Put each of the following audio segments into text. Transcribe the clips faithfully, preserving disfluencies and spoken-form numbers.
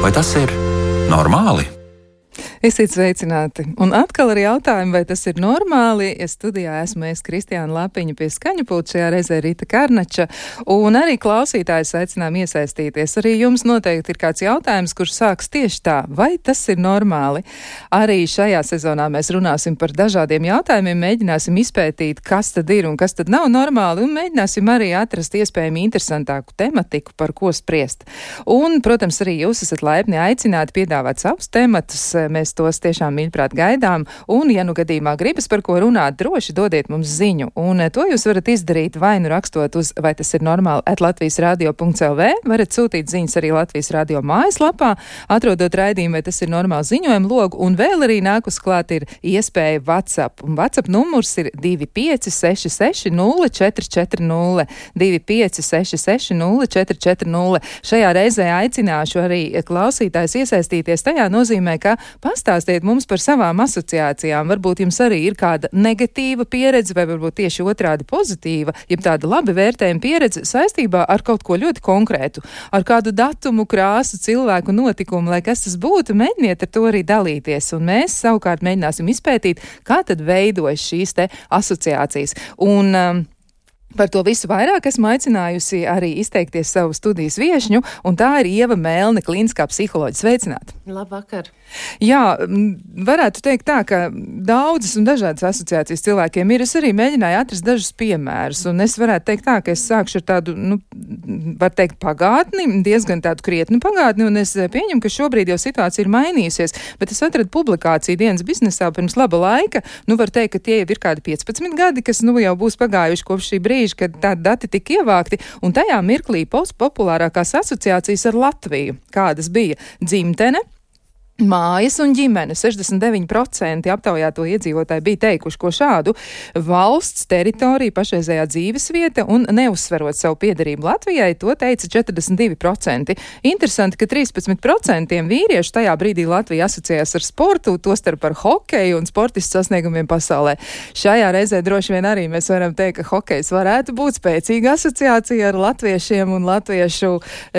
Vai tas ir normāli? Esiet sveicināti. Un atkal ar jautājumu, vai tas ir normāli. Es studijā esmu es Kristiāna Lapiņa pie skaņu pulta, šajā reizē Rita Karnača. Un arī klausītājus aicinām iesaistīties. Arī jums noteikti ir kāds jautājums, kurš sāks tieši tā. Vai tas ir normāli? Arī šajā sezonā mēs runāsim par dažādiem jautājumiem, mēģināsim izpētīt, kas tad ir un kas tad nav normāli, un mēģināsim arī atrast iespējami interesantāku tematiku, par ko spriest. Un, protams, arī jūs esat laipni aicināti piedāvāt savus tematus. Mēs tos tiešām mīļprāt gaidām, un, ja nu gadījumā gribas par ko runāt, droši dodiet mums ziņu, un to jūs varat izdarīt vai nu rakstot uz, vai tas ir normāli, at latvijas radio punkts el vē, varat sūtīt ziņas arī Latvijas radio mājaslapā, atrodot raidījumu, vai tas ir normāli ziņojumu logu, un vēl arī nākus klāt ir iespēja WhatsApp, un WhatsApp numurs ir divi pieci seši seši nulle četri četri nulle, divi pieci seši seši nulle četri četri nulle. Šajā reizē aicināšu arī klausītājs iesaistīties, tajā nozīmē, ka pastāstiet mums par savām asociācijām. Varbūt jums arī ir kāda negatīva pieredze, vai varbūt tieši otrādi pozitīva, jeb tāda labi vērtējuma pieredze saistībā ar kaut ko ļoti konkrētu, ar kādu datumu, krāsu, cilvēku, notikumu, lai kas tas būtu, mēģiniet ar to arī dalīties. Un mēs savukārt mēģināsim izpētīt, kā tad veidojas šīs te asociācijas. Un um, par to visu vairāk esmu aicinājusi arī izteikties savu studijas viešņu, un tā ir Ieva Melne, klīniskā psiholoģe. Sveicināti! Labvakar! Jā, varētu teikt tā, ka daudzas un dažādas asociācijas cilvēkiem ir. Es arī mēģināju atrast dažus piemērus, un es varētu teikt tā, ka es sākšu ar tādu, nu, var teikt, pagātni, diezgan tādu krietnu pagātni, un es pieņemu, ka šobrīd jau situācija ir mainījusies, bet es atradu publikāciju dienas biznesā pirms laba laika. Nu, var teikt, ka tie jau ir kādi piecpadsmit gadi, kas nu jau būs pagājuši kopš šī brīža, kad tādi dati tika ievākti, un tajā mirklī populārākās asociācijas ar Latviju, kādas bija dzimtene, mājas un ģimene. sešdesmit deviņi procenti aptaujāto iedzīvotāji bija teikuši ko šādu: valsts, teritorija, pašreizējā dzīvesvieta un neuzsverot savu piederību Latvijai, to teica četrdesmit divi procenti. Interesanti, ka trīspadsmit procenti vīriešu tajā brīdī Latvija asociējās ar sportu, tostarp ar hokeju un sportistu sasniegumiem pasaulē. Šajā reizē droši vien arī mēs varam teikt, ka hokejs varētu būt spēcīga asociācija ar latviešiem un latviešu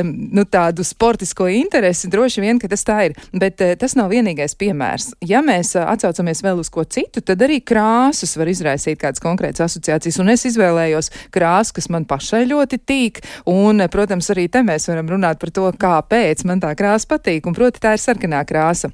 nu, tādu sportisko interesi. Droši vien, ka tas tā ir. Bet tas nav vienīgais piemērs. Ja mēs atsaucamies vēl uz ko citu, tad arī krāsas var izraisīt kādas konkrētas asociācijas, un es izvēlējos krāsu, kas man pašai ļoti tīk, un, protams, arī te mēs varam runāt par to, kāpēc man tā krāsa patīk, un proti tā ir sarkanā krāsa.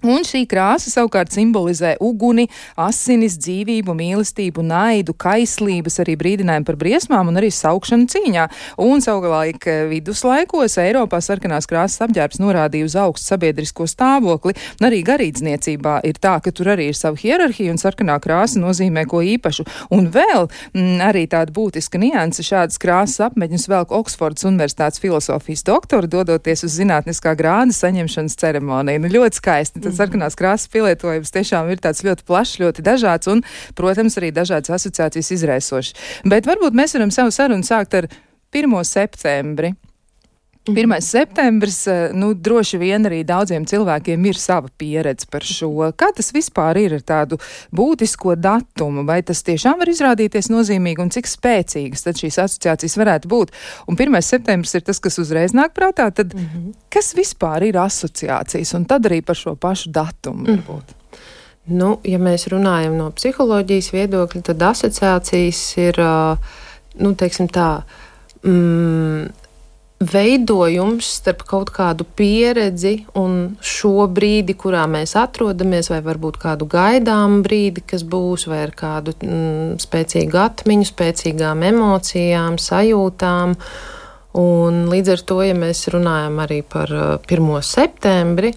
Un šī krāsa savukārt simbolizē uguni, asinis, dzīvību, mīlestību, naidu, kaislības, arī brīdinājumu par briesmām un arī saukšanu cīņā. Un savulaik viduslaikos Eiropā sarkanās krāsas apģērbs norādīja uz augstu sabiedrisko stāvokli, un arī garīdzniecībā ir tā, ka tur arī ir sava hierarhija, un sarkanā krāsa nozīmē ko īpašu. Un vēl m, arī tāda būtiska nianse, šādas krāsas apmeņus velk Oksfordas Universitātes filosofijas doktori, dodoties uz zinātniskā grāda saņemšanas ceremoniju. Nu, ļoti skaisti. Tas sarkanās krāsas pielietojums tiešām ir tāds ļoti plašs, ļoti dažāds un, protams, arī dažādas asociācijas izraisošas. Bet varbūt mēs varam savu sarunu sākt ar pirmo septembri. pirmais septembris, nu, droši vien arī daudziem cilvēkiem ir sava pieredze par šo. Kā tas vispār ir ar tādu būtisko datumu? Vai tas tiešām var izrādīties nozīmīgi un cik spēcīgas tad šīs asociācijas varētu būt? Un pirmais septembris ir tas, kas uzreiz nāk prātā, tad mm-hmm. kas vispār ir asociācijas? Un tad arī par šo pašu datumu varbūt. Mm. Nu, ja mēs runājam no psiholoģijas viedokļa, tad asociācijas ir, nu, teiksim tā, mm, veidojums starp kaut kādu pieredzi un šo brīdi, kurā mēs atrodamies, vai varbūt kādu gaidāmu brīdi, kas būs, vai ar kādu mm, spēcīgu atmiņu, spēcīgām emocijām, sajūtām. Un līdz ar to, ja mēs runājam arī par pirmo septembri,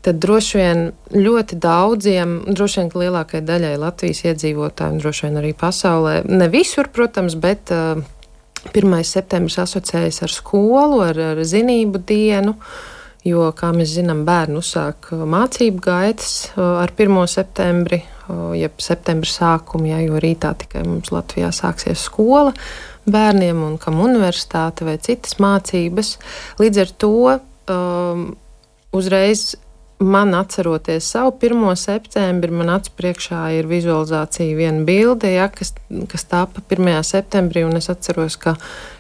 tad droši vien ļoti daudziem, droši vien lielākajai daļai Latvijas iedzīvotājiem, droši vien arī pasaulē, ne visur, protams, bet uh, pirmais septembris asociējas ar skolu, ar, ar zinību dienu, jo, kā mēs zinām, bērni uzsāk mācību gaitas ar pirmo septembri, jeb septembra sākumu, ja, jo rītā tikai mums Latvijā sāksies skola bērniem un kam universitāte vai citas mācības. Līdz ar to um, uzreiz man atceroties savu pirmo septembri, man acu priekšā ir vizualizācija viena bilde, ja, kas, kas tāpa pirmajā septembrī, un es atceros, ka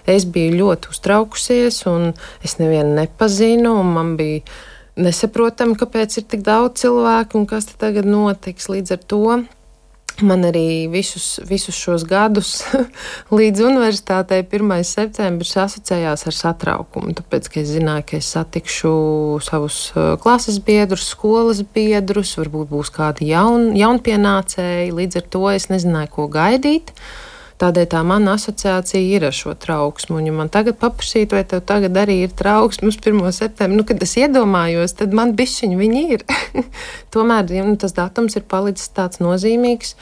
es biju ļoti uztraukusies, un es nevienu nepazinu, un man bija nesaprotam, kāpēc ir tik daudz cilvēku un kas te tagad notiks. Līdz ar to man arī visus, visus šos gadus līdz universitātei pirmais septembris asociējās ar satraukumu, tāpēc, ka es zināju, ka es satikšu savus klases biedrus, skolas biedrus, varbūt būs kādi jaun, jaunpienācēji, līdz ar to es nezināju, ko gaidīt. Tādēļ tā mana asociācija ir ar šo trauksmu. Un, ja man tagad paprasīt, vai tev tagad arī ir trauksme uz pirmo septembri, nu, kad es iedomājos, tad man bišķiņi viņi ir. Tomēr ja, nu, tas datums ir palicis tāds nozīmīgs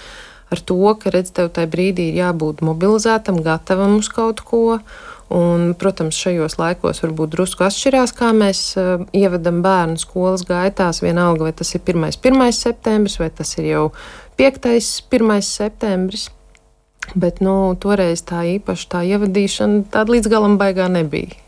ar to, ka, redz, tev tajā brīdī ir jābūt mobilizētam, gatavam uz kaut ko. Un, protams, šajos laikos varbūt drusku atšķirās, kā mēs uh, ievedam bērnu skolas gaitās, vienalga, vai tas ir pirmais, pirmais septembris, vai tas ir jau piektais, pirmais septembris. Bet, nu, toreiz tā īpaši tā ievadīšana tāda līdz galam baigā nebija.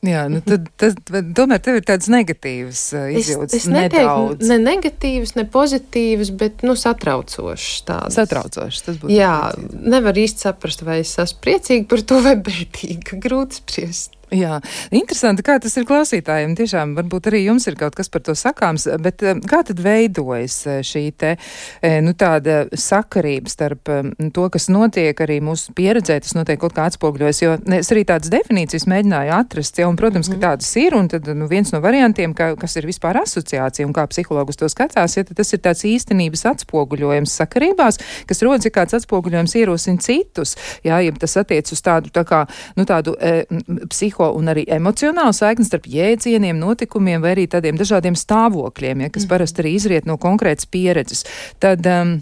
Jā, nu tad, tad tomēr tev ir tādas negatīvas uh, izjūtas, es, es nedaudz. Ne negatīvas, ne pozitīvas, bet, nu, satraucošas tādas. Satraucošas, tas būtu. Jā, nevar īsti saprast, vai es esmu priecīga par to vai bēdīga, grūti spriest. Jā, interesanti, kā tas ir klausītājiem. Tiešām, varbūt arī jums ir kaut kas par to sakāms, bet kā tad veidojas šī te, nu, tāda sakarība starp to, kas notiek arī mūsu pieredzē, tas notiek kaut kā atspoguļojas, jo es arī tādas definīcijas mēģināju atrast, ja, un, protams, ka tādas ir, un tad, nu, viens no variantiem, ka, kas ir vispār asociācija, un kā psihologus to skatās, ja tas ir tāds īstenības atspoguļojums sakarībās, kas rodas, ja kāds atspoguļojums ierosina citus, jā, ja tas attiec uz tādu, tā kā, nu, tādu e, psiho un arī emocionālu saikni starp jēdzieniem, notikumiem vai arī tādiem dažādiem stāvokļiem, ja, kas mm. parasti arī izriet no konkrētas pieredzes. Tad um,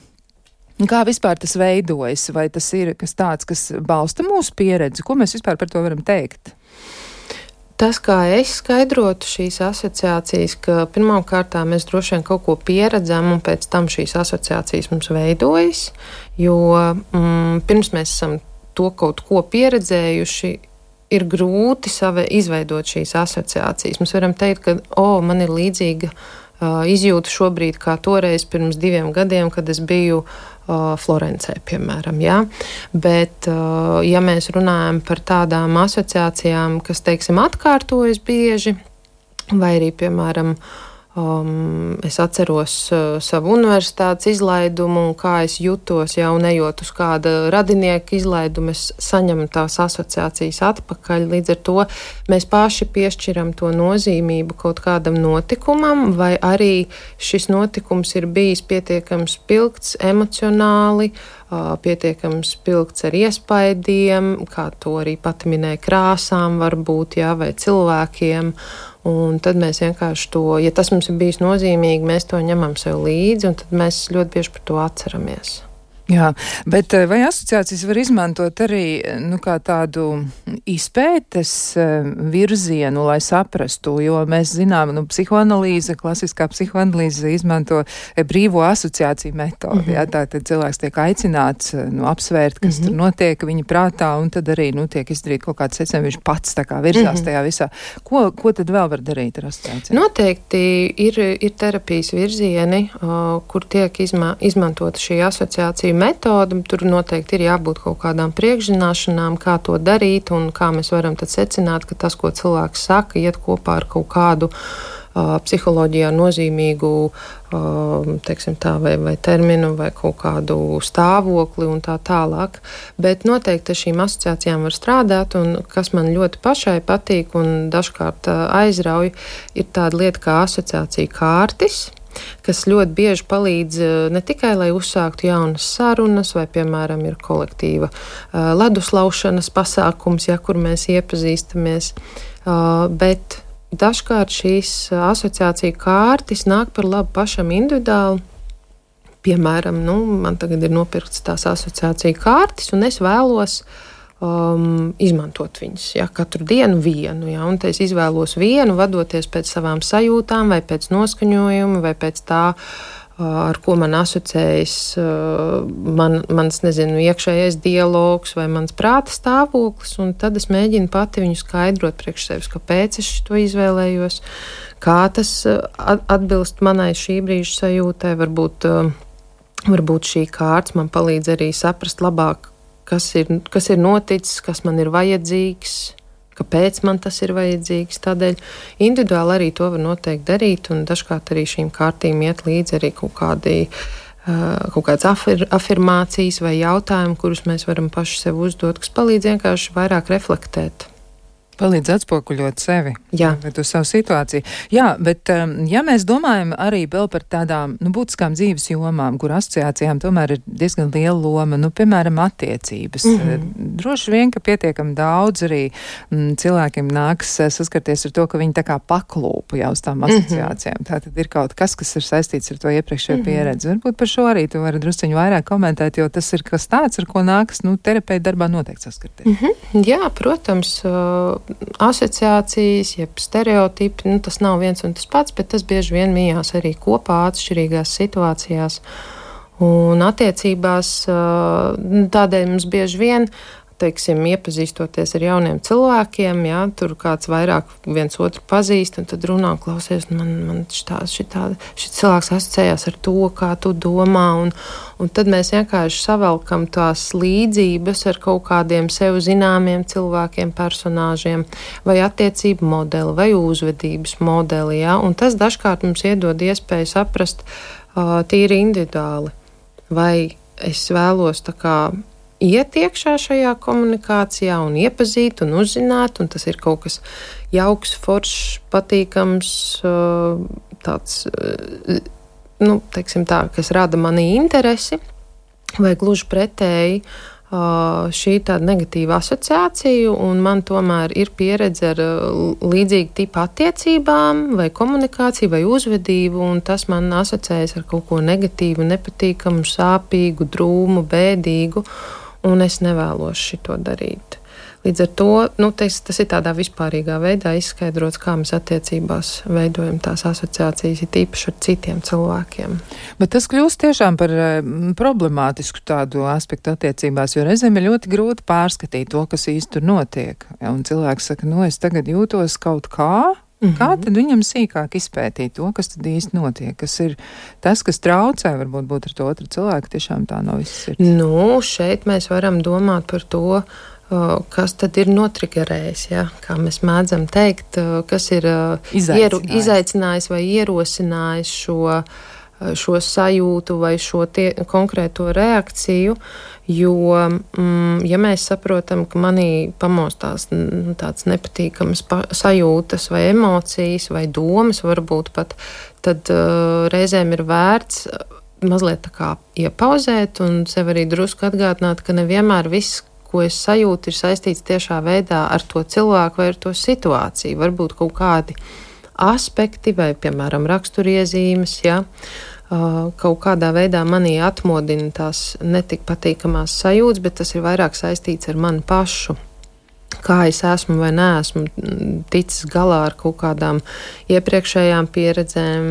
kā vispār tas veidojas? Vai tas ir kas tāds, kas balsta mūsu pieredzi? Ko mēs vispār par to varam teikt? Tas, kā es skaidrotu šīs asociācijas, ka pirmām kārtām mēs droši vien kaut ko pieredzam un pēc tam šīs asociācijas mums veidojas, jo mm, pirms mēs esam to kaut ko pieredzējuši, ir grūti sava izveidot šīs asociācijas. Mēs varam teikt, ka, o, man ir līdzīga uh, izjūta šobrīd kā toreiz pirms diviem gadiem, kad es biju uh, Florencē, piemēram, jā. Bet, uh, ja mēs runājam par tādām asociācijām, kas, teiksim, atkārtojas bieži, vai arī, piemēram, Um, es atceros uh, savu universitātes izlaidumu un kā es jutos jau nejot uz kāda radinieka izlaidumu, es saņemu tās asociācijas atpakaļ. Līdz ar to mēs paši piešķiram to nozīmību kaut kādam notikumam, vai arī šis notikums ir bijis pietiekams spilgts emocionāli, uh, pietiekams spilgts ar iespaidiem, kā to arī pati minēja, krāsām varbūt, jā, vai cilvēkiem. Un tad mēs vienkārši to, ja tas mums ir bijis nozīmīgi, mēs to ņemam sev līdzi, un tad mēs ļoti bieži par to atceramies. Jā, bet vai asociācijas var izmantot arī, nu, kā tādu izpētes virzienu, lai saprastu, jo mēs zinām, nu, psihoanalīze, klasiskā psihoanalīze izmanto brīvo asociāciju metodi, mm-hmm. jā, tātad cilvēks tiek aicināts, nu, apsvērt, kas mm-hmm. tur notiek viņa prātā, un tad arī, nu, tiek izdarīt kaut kāds secinājums, viņš pats tā kā virzās mm-hmm. tajā visā. Ko, ko tad vēl var darīt ar asociāciju? Noteikti ir, ir terapijas virzieni, uh, kur tiek izma, izmantota šī asociācija metode, tur noteikti ir jābūt kaut kādām priekšzināšanām, kā to darīt un kā mēs varam tad secināt, ka tas, ko cilvēks saka, iet kopā ar kaut kādu uh, psiholoģijā nozīmīgu uh, teiksim tā, vai, vai terminu vai kaut kādu stāvokli un tā tālāk. Bet noteikti ar šīm asociācijām var strādāt, un kas man ļoti pašai patīk un dažkārt uh, aizrauj, ir tāda lieta kā asociācija kārtis, kas ļoti bieži palīdz ne tikai, lai uzsāktu jaunas sarunas, vai, piemēram, ir kolektīva uh, leduslaušanas pasākums, ja, kur mēs iepazīstamies, uh, bet dažkārt šīs asociācija kārtis nāk par labu pašam individuāli. Piemēram, nu, man tagad ir nopirkts tās asociācija kārtis, un es vēlos Um, izmantot viņus, ja, katru dienu vienu, ja, un te es izvēlos vienu, vadoties pēc savām sajūtām, vai pēc noskaņojuma, vai pēc tā, uh, ar ko man asociējas uh, man, mans, nezinu, iekšējais dialogs vai mans prāta stāvoklis, un tad es mēģinu pati viņu skaidrot priekš sevis, kāpēc es to izvēlējos, kā tas uh, atbilst manai šī brīža sajūtai, varbūt, uh, varbūt šī kārts man palīdz arī saprast labāk, Kas ir, kas ir noticis, kas man ir vajadzīgs, kāpēc man tas ir vajadzīgs. Tādēļ individuāli arī to var noteikti darīt, un dažkārt arī šīm kārtīm iet līdzi arī kaut kādi, kaut kādas afir, afirmācijas vai jautājumi, kurus mēs varam paši sev uzdot, kas palīdz vienkārši vairāk reflektēt. Palīdz atspoguļot sevi, Jā. vai tu savu situāciju. Jā, bet ja mēs domājam arī vēl par tādām, nu, būtiskām dzīves jomām, kur asociācijām tomēr ir diezgan liela loma, nu, piemēram, attiecības. Mm-hmm. Droši vien, ka pietiekami daudz arī m, cilvēkiem nāks saskarties ar to, ka viņi tā kā paklūpa jau uz tām asociācijām. Mm-hmm. Tātad ir kaut kas, kas ir saistīts ar to iepriekšējo mm-hmm. pieredzi. Varbūt par šo arī tu vari drusciņu vairāk komentēt, jo tas ir kas tāds, ar ko nāks, nu, terapeita darbā noteikti saskarties. Mm-hmm. Jā, protams, uh... asociācijas, jeb stereotipi, nu, tas nav viens un tas pats, bet tas bieži vien mījās arī kopā atšķirīgās situācijās. Un attiecībās tādēļ mums bieži vien, teiksim, iepazīstoties ar jauniem cilvēkiem, jā, tur kāds vairāk viens otru pazīst, un tad runā, klausies, man, man šitā, šitā, šit cilvēks asociējās ar to, kā tu domā, un, un tad mēs vienkārši savelkam tās līdzības ar kaut kādiem sev zināmiem cilvēkiem, personāžiem, vai attiecību modeli, vai uzvedības modeli, jā, un tas dažkārt mums iedod iespēju saprast uh, tīri individuāli, vai es vēlos tā kā iet iekšā šajā komunikācijā un iepazīt un uzzināt, un tas ir kaut kas jauks, foršs, patīkams, tāds, nu, teiksim tā, kas rada manī interesi, vai gluži pretēji šī tāda negatīva asociācija, un man tomēr ir pieredze ar līdzīgu tipu attiecībām, vai komunikāciju, vai uzvedību, un tas man asociējas ar kaut ko negatīvu, nepatīkamu, sāpīgu, drūmu, bēdīgu, un es nevēlos šito darīt. Līdz ar to, nu, tes, tas ir tādā vispārīgā veidā izskaidrots, kā mēs attiecībās veidojam tās asociācijas, ir īpaši ar citiem cilvēkiem. Bet tas kļūst tiešām par mm, problemātisku tādu aspektu attiecībās, jo reizēm ir ļoti grūti pārskatīt to, kas īsti tur notiek. Ja, un cilvēks saka, nu, es tagad jūtos kaut kā, mm-hmm. kā tad viņam sīkāk izpētīt to, kas tad īsti notiek, kas ir tas, kas traucē, varbūt būt ar to otru cilvēku, tiešām tā nav viss sirds. Nu, šeit mēs varam domāt par to, kas tad ir notrigerējis, ja? Kā mēs mēdzam teikt, kas ir izaicinājis, ieru, izaicinājis vai ierosinājis šo, šo sajūtu vai šo tie, konkrēto reakciju, jo, mm, ja mēs saprotam, ka manī pamostās n, tāds nepatīkamas pa, sajūtas vai emocijas vai domas varbūt pat, tad uh, reizēm ir vērts mazliet tā kā iepauzēt un sev arī drusku atgādināt, ka nevienmēr viss, ko es sajūtu, ir saistīts tiešā veidā ar to cilvēku vai ar to situāciju. Varbūt kaut kādi aspekti vai, piemēram, raksturiezīmes, ja, kaut kādā veidā manī atmodina tās netik patīkamās sajūtas, bet tas ir vairāk saistīts ar mani pašu. Kā es esmu vai neesmu ticis galā ar kaut kādām iepriekšējām pieredzēm,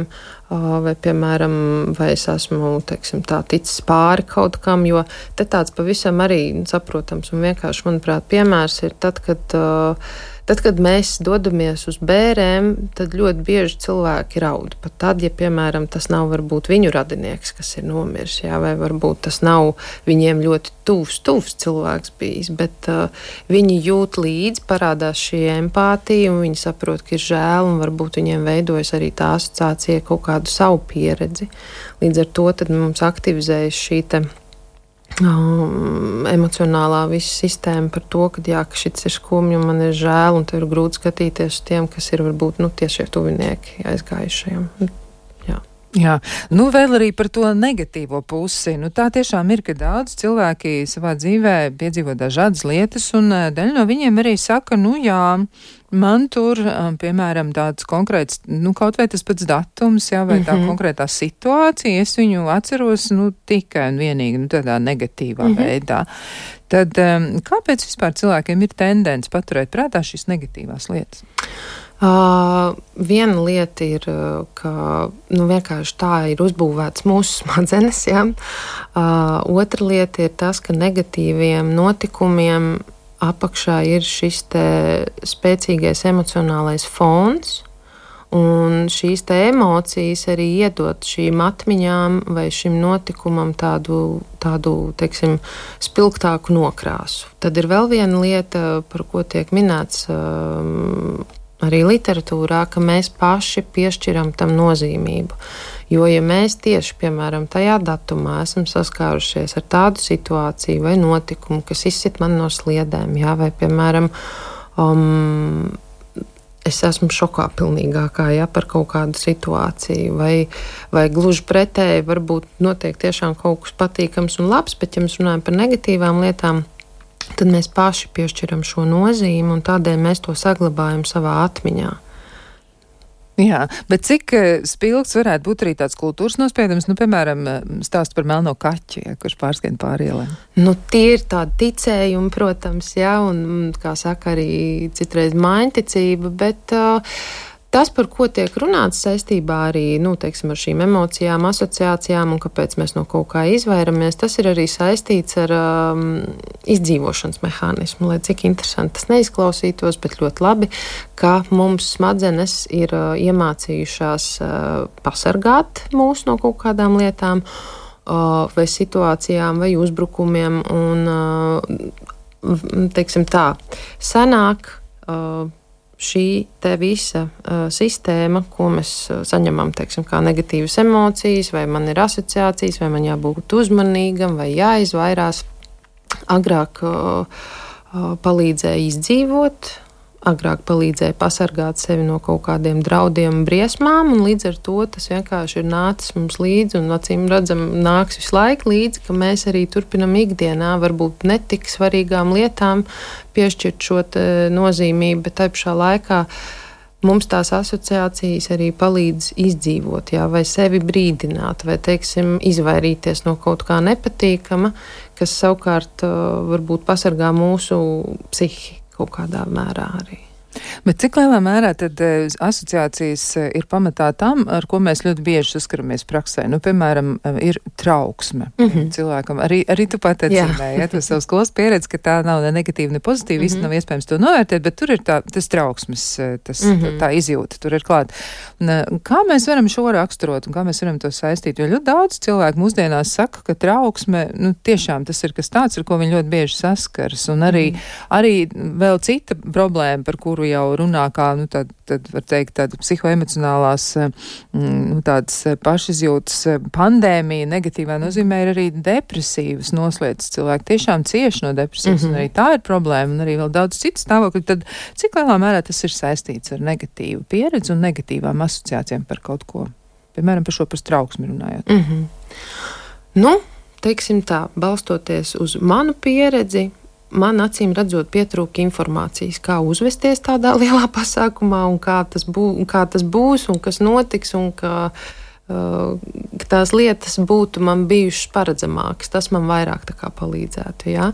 vai, piemēram, vai es esmu, teiksim, tā ticis pāri kaut kam, jo te tāds pavisam arī saprotams un vienkārši, manuprāt, piemērs ir tad, kad, tad, kad mēs dodamies uz bērēm, tad ļoti bieži cilvēki raud. Pat tad, ja, piemēram, tas nav varbūt viņu radinieks, kas ir nomiris, jā, vai varbūt tas nav viņiem ļoti tuvs, tuvs cilvēks bijis, bet uh, viņi jūt līdzi, parādās šī empātija, un viņi saprot, ka ir žēl, un varbūt viņiem veidojas arī tā asociācija kaut kādu savu pieredzi. Līdz ar to tad mums aktivizējas šī te um, emocionālā visa sistēma par to, ka jā, ka šits ir skumji, un man ir žēl, un tev ir grūti skatīties uz tiem, kas ir varbūt, nu, tiešie tuvinieki aizgājušajiem. Jā. Jā, nu vēl arī par to negatīvo pusi. Nu, tā tiešām ir, ka daudz cilvēki savā dzīvē piedzīvo dažādas lietas, un daļa no viņiem arī saka, nu jā, man tur, piemēram, tāds konkrēts, nu kaut vai tas pats datums, jā, vai tā mm-hmm. konkrētā situācija, es viņu atceros, nu tikai un vienīgi, nu tādā negatīvā mm-hmm. veidā. Tad kāpēc vispār cilvēkiem ir tendence paturēt prātā šīs negatīvās lietas? Uh, viena lieta ir, ka nu, vienkārši tā ir uzbūvēts mūsu smadzenes. Ja? Uh, otra lieta ir tas, ka negatīviem notikumiem apakšā ir šis te spēcīgais emocionālais fons, Un šīs te emocijas arī iedot šīm atmiņām vai šim notikumam tādu, tādu teiksim, spilgtāku nokrāsu. Tad ir vēl viena lieta, par ko tiek minēts um, arī literatūrā, ka mēs paši piešķiram tam nozīmību. Jo, ja mēs tieši, piemēram, tajā datumā esam saskārušies ar tādu situāciju vai notikumu, kas izsit man no sliedēm, jā, vai, piemēram, um, es esmu šokā pilnīgākā, ja, par kaut kādu situāciju, vai, vai gluži pretēji varbūt notiek tiešām kaut kas patīkams un labs, bet ja mēs runājam par negatīvām lietām, tad mēs paši piešķiram šo nozīmi un tādēļ mēs to saglabājam savā atmiņā. Jā, bet cik spilgts varētu būt arī tāds kultūras nospiedums, nu, piemēram, stāsts par melno kaķi, ja, kurš pārskrien pāri ielai? Nu, tie ir tādi ticējumi, protams, jā, un, kā saka, arī citreiz maiņticība, bet uh, tas, par ko tiek runāts saistībā arī, nu, teiksim, ar šīm emocijām, asociācijām un kāpēc mēs no kaut kā izvairamies, tas ir arī saistīts ar um, izdzīvošanas mehānismu, lai cik interesanti tas neizklausītos, bet ļoti labi, ka mums smadzenes ir uh, iemācījušās uh, pasargāt mūs no kaut kādām lietām uh, vai situācijām vai uzbrukumiem un, uh, teiksim tā, senāk uh, šī te visa uh, sistēma, ko mēs uh, saņemam, teiksim, kā negatīvas emocijas, vai man ir asociācijas, vai man jābūt uzmanīgam, vai jāizvairās, agrāk uh, uh, palīdzēja izdzīvot, agrāk palīdzēja pasargāt sevi no kaut kādiem draudiem un briesmām, un līdz ar to tas vienkārši ir nācis mums līdzi, un acīm redzam nāks visu laiku līdzi, ka mēs arī turpinam ikdienā varbūt netik svarīgām lietām piešķirt šo nozīmību, bet tai pašā laikā mums tās asociācijas arī palīdz izdzīvot, jā, vai sevi brīdināt, vai, teiksim, izvairīties no kaut kā nepatīkama, kas savukārt varbūt pasargā mūsu psihi kaut kādā mērā arī. Bet cik lielā mērā tad asociācijas ir pamatā tam, ar ko mēs ļoti bieži saskaramies praksē? Nu, piemēram, ir trauksme mm-hmm. cilvēkam. Arī, arī tu pat atzīmēji, ja, to savu skolas pieredzi, ka tā nav ne negatīva, ne pozitīva, mm-hmm. viss nav iespējams to novērtēt, bet tur ir tā, tas trauksmes, tas, mm-hmm. tā izjūta, tur ir klāt. Un, kā mēs varam šo raksturot un kā mēs varam to saistīt? Jo ļoti daudz cilvēku mūsdienās saka, ka trauksme, nu, tiešām tas ir kas tāds, ar ko viņi ļoti bieži saskaras. Un arī, mm-hmm. arī vēl cita problēma, par kuru jau runā kā, nu, tad, tad var teikt, tāda psihoemocionālās, nu, tādas pašizjūtas pandēmija, negatīvā nozīmē ir arī depresīvas noslēdzas. Cilvēki tiešām cieši no depresijas, mm-hmm. un arī tā ir problēma, un arī vēl daudz citu stāvokļu. Tad cik lielā mērā tas ir saistīts ar negatīvu pieredzi un negatīvām asociācijām par kaut ko? Piemēram, par šo par trauksmi runājot. Mm-hmm. Nu, teiksim tā, balstoties uz manu pieredzi, man acīm redzot pietrūka informācijas, kā uzvesties tādā lielā pasākumā un kā tas, bū, kā tas būs un kas notiks un kā uh, tās lietas būtu man bijušas paredzamākas. Tas man vairāk tā kā palīdzētu, jā.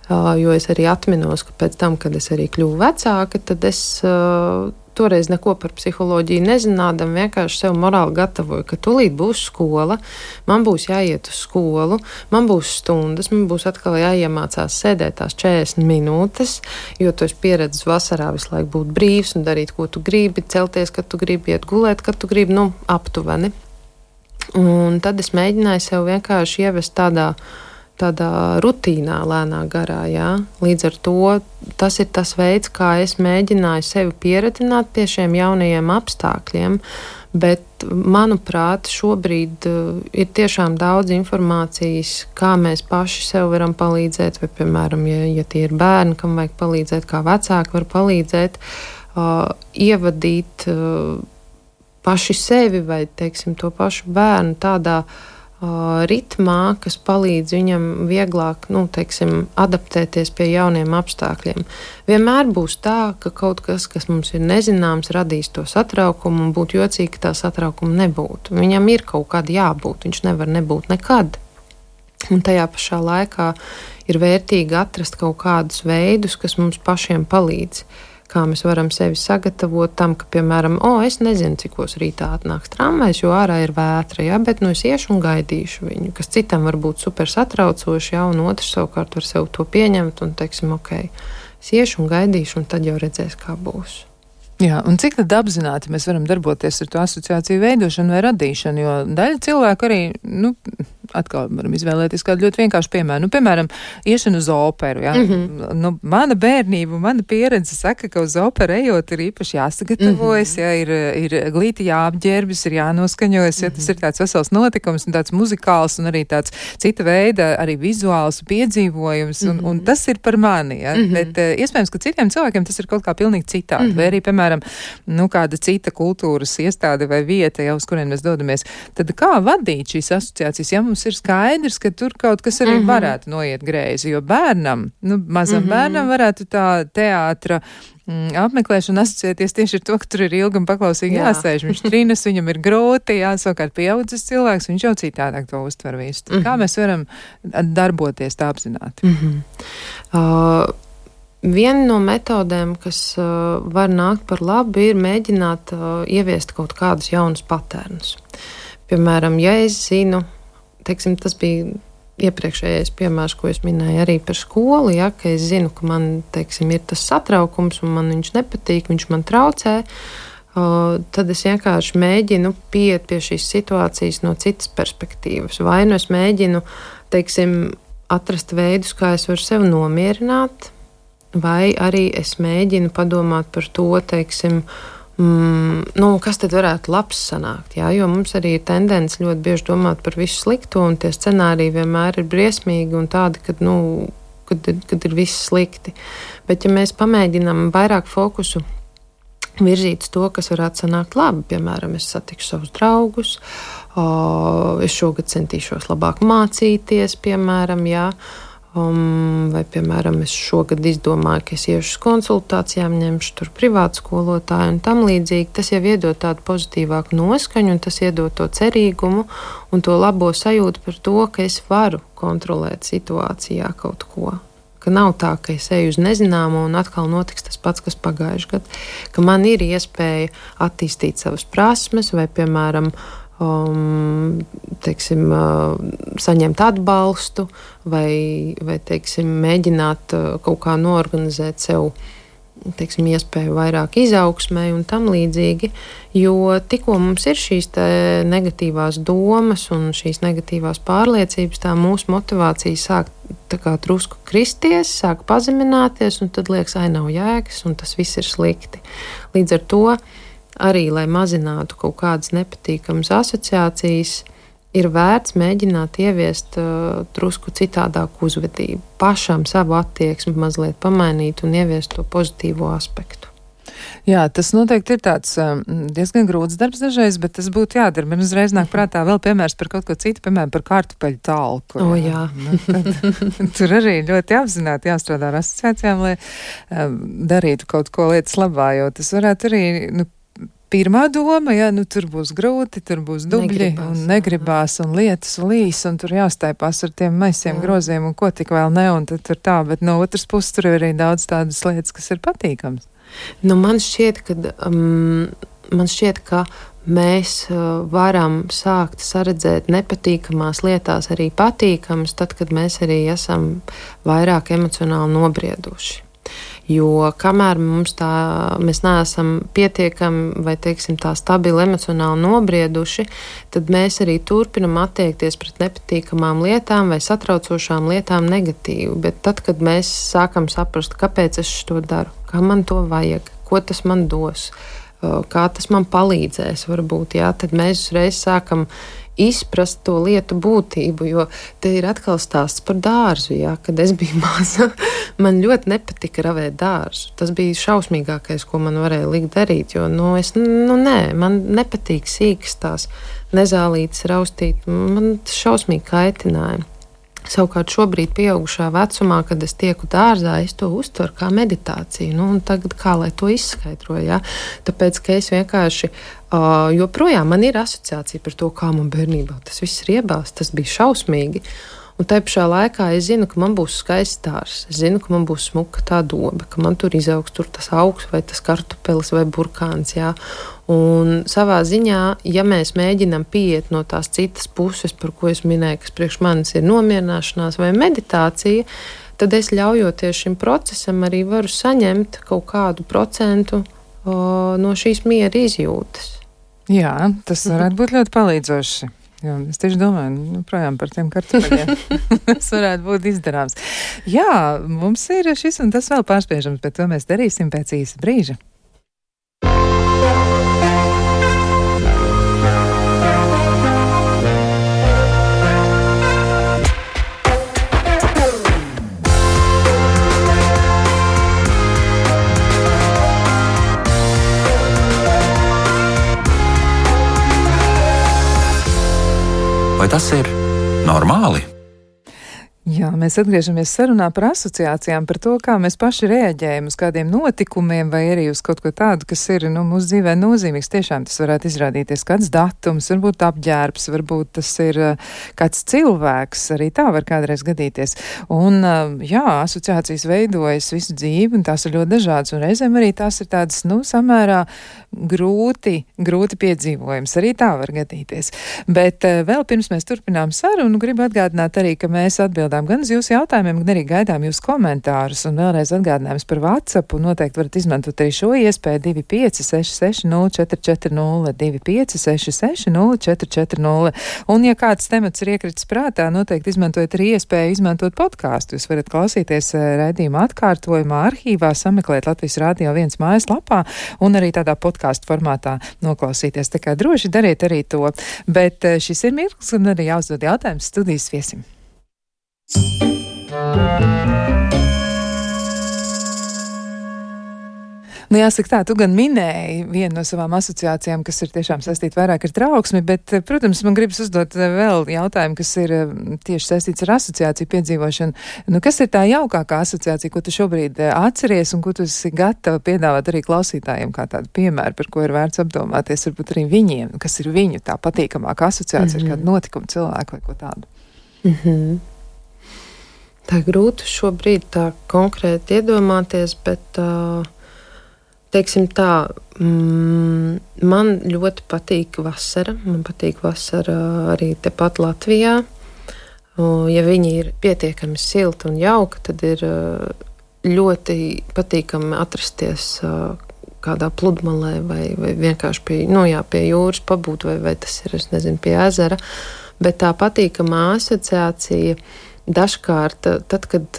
Uh, jo es arī atminos, ka pēc tam, kad es arī kļuvu vecāka, tad es uh, toreiz neko par psiholoģiju nezinādam, vienkārši sev morāli gatavoju, ka tūlīt būs skola, man būs jāiet uz skolu, man būs stundas, man būs atkal jāiemācās sēdēt tās četrdesmit minūtes, jo tu esi pieredzis vasarā visu laiku būt brīvs un darīt, ko tu gribi, celties, kad tu gribi, iet gulēt, kad tu gribi, nu, aptuveni. Un tad es mēģināju sev vienkārši ievest tādā tādā rutīnā, lēnā garā, jā. Līdz ar to tas ir tas veids, kā es mēģināju sevi pieredzināt pie šiem jaunajiem apstākļiem, bet, manuprāt, šobrīd uh, ir tiešām daudz informācijas, kā mēs paši sev varam palīdzēt, vai, piemēram, ja, ja tie ir bērni, kam vajag palīdzēt, kā vecāki var palīdzēt, uh, ievadīt uh, paši sevi vai, teiksim, to pašu bērnu tādā ritmā, kas palīdz viņam vieglāk, nu, teiksim, adaptēties pie jauniem apstākļiem. Vienmēr būs tā, ka kaut kas, kas mums ir nezināms, radīs to satraukumu un būtu jocīgi, ka tā satraukuma nebūtu. Viņam ir kaut kāda jābūt, viņš nevar nebūt nekad. Un tajā pašā laikā ir vērtīgi atrast kaut kādus veidus, kas mums pašiem palīdz. Kā mēs varam sevi sagatavot tam, ka, piemēram, o, es nezinu, cikos rītā atnāks tramvajs, jo ārā ir vētra, ja, bet nu es iešu un gaidīšu viņu, kas citam var būt super satraucoši, ja, un otrs savukārt var sev to pieņemt un, teiksim, ok, es iešu un gaidīšu, un tad jau redzēs, kā būs. Jā, un cik tad apzināti mēs varam darboties ar to asociāciju veidošanu vai radīšanu, jo daļa cilvēku arī, nu, atkal varam izvēlēties kādu ļoti vienkāršu piemēru. Nu, piemēram, iešana uz operu, jā. Mm-hmm. Nu, mana bērnība, mana pieredze saka, ka uz operu ejot ir īpaši jāsagatavojas, mm-hmm. jā, ir, ir glīti jāapģērbjas, ir jānoskaņojas, mm-hmm. ja tas ir tāds vesels notikums un tāds muzikāls un arī tāds cita veida, arī vizuāls piedzīvojums, un, mm-hmm. un tas ir par mani, jā. Mm-hmm. Bet uh, iespējams, ka citiem cilvēkiem tas ir kaut kā pilnīgi citādi, mm-hmm. vai arī, piemēram, nu, kāda cita kultūras iestāde vai vieta, jau uz kurien mēs dodamies. Tad kā vadīt šīs asociācijas, ja mums ir skaidrs, ka tur kaut kas arī mm-hmm. varētu noiet greizi, jo bērnam, nu, mazam mm-hmm. bērnam varētu tā teātra mm, apmeklēšana asociēties tieši ar to, ka tur ir ilgi un paklausīgi Jā. jāsēž. Viņš trinas, viņam ir grūti, jā, savukārt pieaudzis cilvēks, viņš jau citādāk to uztver visu. Mm-hmm. Kā mēs varam darboties tā apzināti? Mm-hmm. Uh... Viena no metodēm, kas uh, var nākt par labu, ir mēģināt uh, ieviest kaut kādus jaunus patērnus. Piemēram, ja es zinu, teiksim, tas bija iepriekšējais piemērs, ko es minēju arī par skolu, ja, ka es zinu, ka man, teiksim, ir tas satraukums un man viņš nepatīk, viņš man traucē, uh, tad es vienkārši mēģinu pieiet pie šīs situācijas no citas perspektīvas. Vai nu es mēģinu, teiksim, atrast veidus, kā es varu sevi nomierināt, vai arī es mēģinu padomāt par to, teiksim, mm, nu, kas tad varētu labs sanākt, jā, jo mums arī ir tendence ļoti bieži domāt par visu slikto, un tie scenāriji vienmēr ir briesmīgi un tādi, kad, nu, kad, kad ir viss slikti. Bet ja mēs pamēģinām vairāk fokusu virzīt to, kas varētu sanākt labi, piemēram, es satikšu savus draugus, o, es šogad centīšos labāk mācīties, piemēram, jā, Um, vai, piemēram, es šogad izdomāju, ka es iešu uz konsultācijām, ņemšu tur privātu skolotāju un tam līdzīgi. Tas jau iedod tādu pozitīvāku noskaņu, un tas iedod to cerīgumu un to labo sajūtu par to, ka es varu kontrolēt situācijā kaut ko. Ka nav tā, ka es eju uz nezināmo un atkal notiks tas pats, kas pagājuši gadu. Ka man ir iespēja attīstīt savas prasmes vai, piemēram, Um, teiksim, uh, saņemt atbalstu vai, vai teiksim, mēģināt uh, kaut kā noorganizēt sev, teiksim, iespēju vairāk izaugsmē un tam līdzīgi, jo tikko mums ir šīs te negatīvās domas un šīs negatīvās pārliecības, tā mūsu motivācija sāk tā kā drusku kristies, sāk pazemināties, un tad liekas, ai, nav jēgas, un tas viss ir slikti. Līdz ar to arī, lai mazinātu kaut kādas nepatīkamas asociācijas, ir vērts mēģināt ieviest uh, drusku citādāku uzvedību, pašam savu attieksmi mazliet pamainīt un ieviest to pozitīvo aspektu. Jā, tas noteikti ir tāds um, diezgan grūts darbs dažreiz, bet tas būtu jādara. Man uzreiz nāk prātā vēl piemērs par kaut ko citu, piemēram, par kartupeļu talku. O, jā. Nu, tad, tur arī ļoti apzināti jāstrādā ar asociācijām, lai um, darītu kaut ko lietas labā, jo tas varētu arī, nu, pirmā doma, ja, nu, tur būs grūti, tur būs dubļi negribās, un negribās un lietas līs, un tur jāstaipās ar tiem maisiem jā. groziem un ko tik vēl ne, un tad tur tā, bet no otras puses tur ir arī daudz tādas lietas, kas ir patīkams. Nu, man šķiet, ka, um, man šķiet, ka mēs uh, varam sākt saredzēt nepatīkamās lietās arī patīkamas, tad, kad mēs arī esam vairāk emocionāli nobrieduši. Jo kamēr mums tā, mēs neesam pietiekami vai, teiksim, tā stabili emocionāli nobrieduši, tad mēs arī turpinam attiekties pret nepatīkamām lietām vai satraucošām lietām negatīvi. Bet tad, kad mēs sākam saprast, kāpēc es to daru, kā man to vajag, ko tas man dos, kā tas man palīdzēs, varbūt, jā, tad mēs uzreiz sākam izprast to lietu būtību, jo te ir atkal stāsts par dārzu, jā, kad es biju maza, man ļoti nepatika ravēt dārzu. Tas bija šausmīgākais, ko man varēja likt darīt, jo, nu, es, nu, nē, man nepatīk sīkas tās nezālītes raustīt, man šausmīgi kaitināja. Savukārt šobrīd pieaugušā vecumā, kad es tieku dārzā, es to uztveru kā meditāciju. Nu, un tagad kā lai to izskaidroju, ja? Tāpēc, ka es vienkārši, uh, joprojām man ir asociācija par to, kā man bērnībā tas viss riebās, tas bija šausmīgi. Un tajā pašā laikā es zinu, ka man būs skaists dārzs, es zinu, ka man būs smuka tā doba, ka man tur izaugs tur tas augs vai tas kartupelis vai burkāns, jā. Un savā ziņā, ja mēs mēģinam pieiet no tās citas puses, par ko es minēju, kas priekš manis ir nomierināšanās vai meditācija, tad es ļaujoties šim procesam arī varu saņemt kaut kādu procentu uh, no šīs miera izjūtas. Jā, tas varētu būt ļoti palīdzoši. Jā, es tieši domāju, nu, projām par tiem kartupeļiem. Tas varētu būt izdarāms. Jā, mums ir šis un tas vēl pārspiežams, bet to mēs darīsim pēc īsa brīža. Vai tas ir normāli? Jā, mēs atgriežamies sarunā par asociācijām, par to, kā mēs paši reaģējam uz kādiem notikumiem vai arī uz kaut ko tādu, kas ir, nu, mūsu dzīvē nozīmīgs. Tiešām tas varētu izrādīties kāds datums, varbūt apģērbs, varbūt tas ir uh, kāds cilvēks, arī tā var kādreiz gadīties. Un, uh, jā, asociācijas veidojas visu dzīvi, un tās ir ļoti dažādas, un reizēm arī tās ir tādas, nu, samērā grūti, grūti piedzīvojums. Arī tā var gadīties. Bet uh, vēl pirms mēs turpinām sarunu, gribu atgādināt arī, ka mēs atbildam gan uz jūsu jautājumiem, gan arī gaidām jūsu komentārus. Un vēlreiz atgādinājums par WhatsApp. Noteikti varat izmantot arī šo iespēju divi pieci seši seši nulle četri četri nulle, divi pieci seši seši nulle četri četri nulle. Un ja kāds temats ir iekritis prātā, noteikti izmantojat arī iespēju izmantot podkāstu. Jūs varat klausīties raidījuma atkārtojumā, arhīvā, sameklēt Latvijas Rādio viens mājaslapā un arī tādā podkāstu formātā noklausīties. Tā kā droši dariet arī to. Bet šis ir mirklis, un arī jāuzdod jautājums studijas viesim. Nu, jāsaka tā, tu gan minēji vienu no savām asociācijām, kas ir tiešām saistīta vairāk ar trauksmi, bet, protams, man gribas uzdot vēl jautājumu, kas ir tieši saistīts ar asociāciju piedzīvošanu. Nu, kas ir tā jaukākā asociācija, ko tu šobrīd atceries un ko tu esi gatava piedāvāt arī klausītājiem kā tādu piemēru, par ko ir vērts apdomāties, varbūt arī viņiem, kas ir viņu tā patīkamākā asociācija, mm-hmm. ar kādu notikumu cilvēku vai ko tādu? Mm-hmm. Tā grūti šobrīd tā konkrēti iedomāties, bet, teiksim tā, mm, man ļoti patīk vasara. Man patīk vasara arī tepat Latvijā. Ja viņi ir pietiekami silti un jauki, tad ir ļoti patīkami atrasties kādā pludmalē vai, vai vienkārši pie, nu jā, pie jūras pabūt, vai, vai tas ir, es nezinu, pie ezera. Bet tā patīkamā asociācija dažkārt, tad, kad,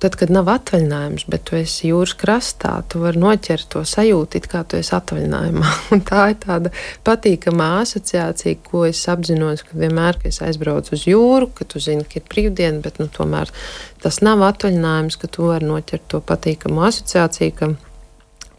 tad, kad nav atvaļinājums, bet tu esi jūras krastā, tu vari noķert to sajūtu, it kā tu esi atvaļinājumā. Un tā ir tāda patīkamā asociācija, ko es apzinos, ka vienmēr, kad es aizbraucu uz jūru, ka tu zini, ka ir brīvdiena, bet nu, tomēr tas nav atvaļinājums, ka tu vari noķert to patīkamu asociāciju, ka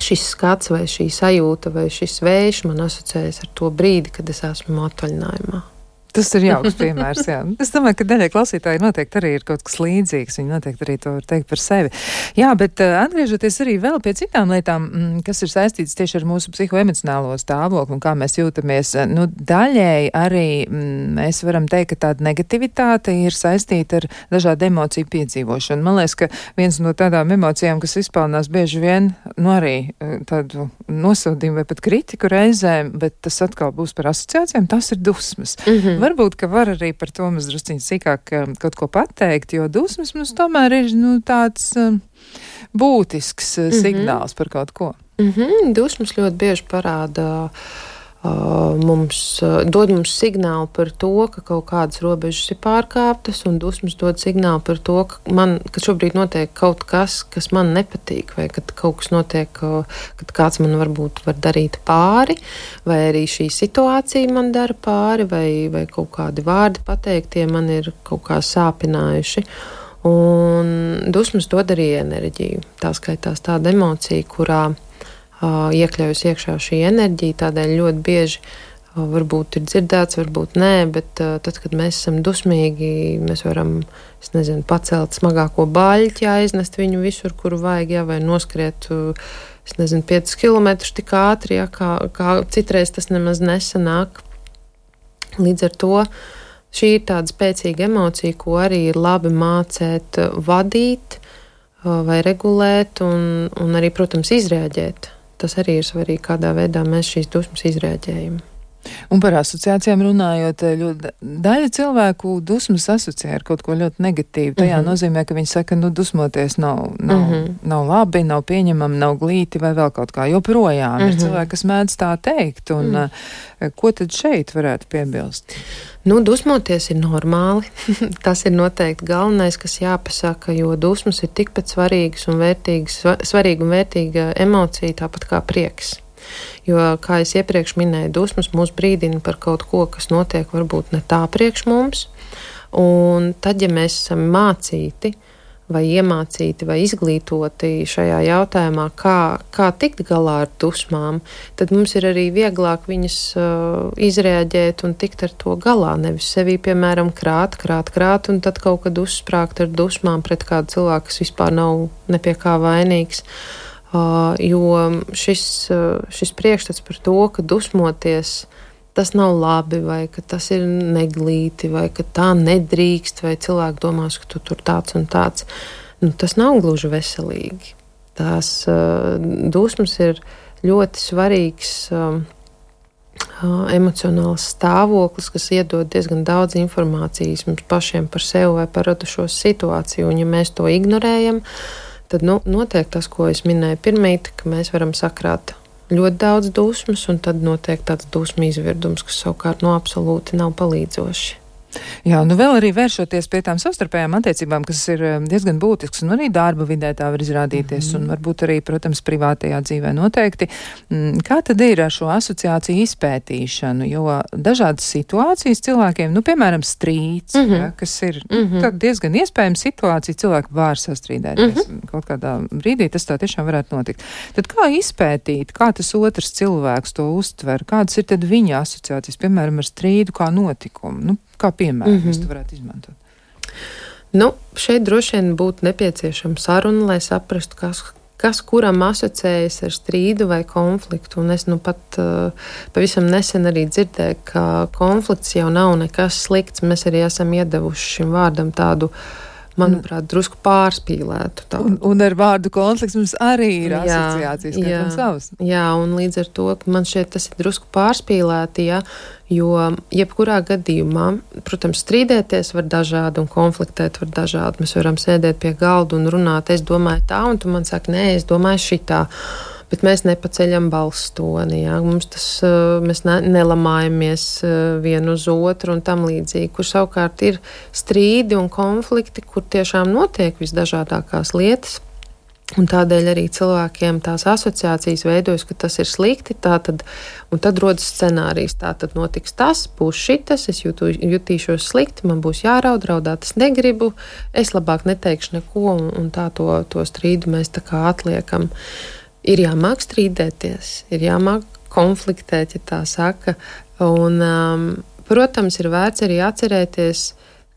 šis skats vai šī sajūta vai šis vējš man asociējas ar to brīdi, kad es esmu atvaļinājumā. Tas ir jauks piemērs, jā. Es domāju, ka daļai klausītāji noteikti arī ir kaut kas līdzīgs. Viņi noteikti arī to var teikt par sevi. Jā, bet uh, atgriežoties arī vēl pie citām lietām, mm, kas ir saistītas tieši ar mūsu psihoemocionālo stāvokli un kā mēs jūtamies, nu, daļēji arī mm, mēs varam teikt, ka tāda negativitāte ir saistīta ar dažādu emociju piedzīvošanu. Man liekas, ka viens no tādām emocijām, kas izpelnās bieži vien, nu, arī tādu nosodījumu vai pat kritiku reizēm, bet tas atkal būs par asociācijām, tas ir dusmas. Mm-hmm. Varbūt, ka var arī par to mums drusciņi sīkāk kaut ko pateikt, jo dusmas mums tomēr ir, nu, tāds um, būtisks uh, mm-hmm. signāls par kaut ko. Mm-hmm. Dusmas ļoti bieži parāda uh, mums, uh, dod mums signālu par to, ka kaut kādas robežas ir pārkāptas, un dusmas dod signālu par to, ka, man, ka šobrīd notiek kaut kas, kas man nepatīk, vai kad kaut kas notiek, uh, kad kāds man varbūt var darīt pāri, vai arī šī situācija man dara pāri, vai, vai kaut kādi vārdi pateiktie man ir kaut kā sāpinājuši. Un dusmas dod arī enerģiju. Tā skaitās tāda emocija, kurā Uh, iekļaujas iekšā šī enerģija, tādēļ ļoti bieži uh, varbūt ir dzirdēts, varbūt nē, bet uh, tad, kad mēs esam dusmīgi, mēs varam, es nezinu, pacelt smagāko baļķi, aiznest viņu visur, kuru vajag, jā, vai noskriet, uh, es nezinu, piecus kilometrus tik ātri, jā, kā, kā citreiz tas nemaz nesanāk. Līdz ar to šī ir tāda spēcīga emocija, ko arī ir labi mācēt vadīt uh, vai regulēt un, un arī, protams, izrēģēt. Tas arī ir svarīgi, kādā veidā mēs šīs dusmas izrēģējam. Un par asociācijām runājot, ļoti daļa cilvēku dusmas asociē ar kaut ko ļoti negatīvu. Tajā mm-hmm. nozīmē, ka viņi saka, nu, dusmoties nav, nav, mm-hmm. nav labi, nav pieņemami, nav glīti vai vēl kaut kā. Joprojām mm-hmm. ir cilvēki, kas mēdz tā teikt. Un mm. ko tad šeit varētu piebilst? Nu, dusmoties ir normāli. Tas ir noteikti galvenais, kas jāpasaka, jo dusmas ir tikpat svarīgas un vērtīgas, svarīga un vērtīga emocija, tāpat kā prieks. Jo, kā es iepriekš minēju, dusmas mūs brīdina par kaut ko, kas notiek varbūt ne tā priekš mums. Un tad, ja mēs esam mācīti vai iemācīti vai izglītoti šajā jautājumā, kā, kā tikt galā ar dusmām, tad mums ir arī vieglāk viņas uh, izrēģēt un tikt ar to galā. Nevis sevī, piemēram, krāt, krāt, krāt, un tad kaut kad uzsprāgt ar dusmām pret kādu cilvēku, kas vispār nav ne pie kā vainīgs. Uh, jo šis, uh, šis priekšstats par to, ka dusmoties tas nav labi, vai ka tas ir neglīti, vai ka tā nedrīkst, vai cilvēki domās, ka tu tur tāds un tāds, nu, tas nav gluži veselīgi. Tās uh, dusmas ir ļoti svarīgs uh, uh, emocionāls stāvoklis, kas iedod diezgan daudz informācijas mums pašiem par sevi vai par radušo situāciju, un ja mēs to ignorējam, tad nu, notiek tas, ko es minēju pirmīt, ka mēs varam sakrāt ļoti daudz dusmas, un tad notiek tāds dusmu izvirdums, kas savukārt no absolūti nav palīdzoši. Jā, nu vēl arī vēršoties pie tām savstarpējām attiecībām, kas ir diezgan būtisks, un arī darba vidē tā var izrādīties, mm-hmm. un varbūt arī, protams, privātajā dzīvē noteikti. Kā tad ir ar šo asociāciju izpētīšanu? Jo dažādas situācijas cilvēkiem, nu, piemēram, strīds, mm-hmm. ja, kas ir mm-hmm. nu, diezgan iespējama situācija, cilvēki var sastrīdēties. Mm-hmm. Kaut kādā brīdī tas tā tiešām varētu notikt. Tad kā izpētīt, kā tas otrs cilvēks to uztver? Kādas ir tad viņa asociācijas, piemēram, ar strīdu kā notikumu? Nu, kā piemēram, mm-hmm. mēs to varētu izmantot? Nu, šeit droši vien būtu nepieciešama saruna, lai saprastu, kas, kas kuram asociējas ar strīdu vai konfliktu. Un es nu pat uh, pavisam nesen arī dzirdēju, ka konflikts jau nav nekas slikts. Mēs arī esam iedevuši šim vārdam tādu, manuprāt, drusku pārspīlētu. Un, un ar vārdu konflikts mums arī ir asociācijas, kā tam savas. Jā, un līdz ar to, ka man šeit tas ir drusku pārspīlēti, ja, jo jebkurā gadījumā, protams, strīdēties var dažādi un konfliktēt var dažādi. Mēs varam sēdēt pie galda un runāt, es domāju tā, un tu man saki, nē, es domāju šitā. Bet mēs nepaceļam balss toni, jā. Mums tas, mēs ne, nelamājamies vienu uz otru un tam līdzīgi, kur savukārt ir strīdi un konflikti, kur tiešām notiek visdažādākās lietas. Un tādēļ arī cilvēkiem tās asociācijas veidojas, ka tas ir slikti, tātad, un tad rodas scenārijs, tātad notiks tas, būs šitas, es jūtu, jutīšos slikti, man būs jāraud, raudāt es negribu, es labāk neteikšu neko, un, un tā to, to strīdu mēs tā kā atliekam. Ir jāmāk strīdēties, ir jāmāk konfliktēt, ja tā saka. Un, um, protams, ir vērts arī atcerēties,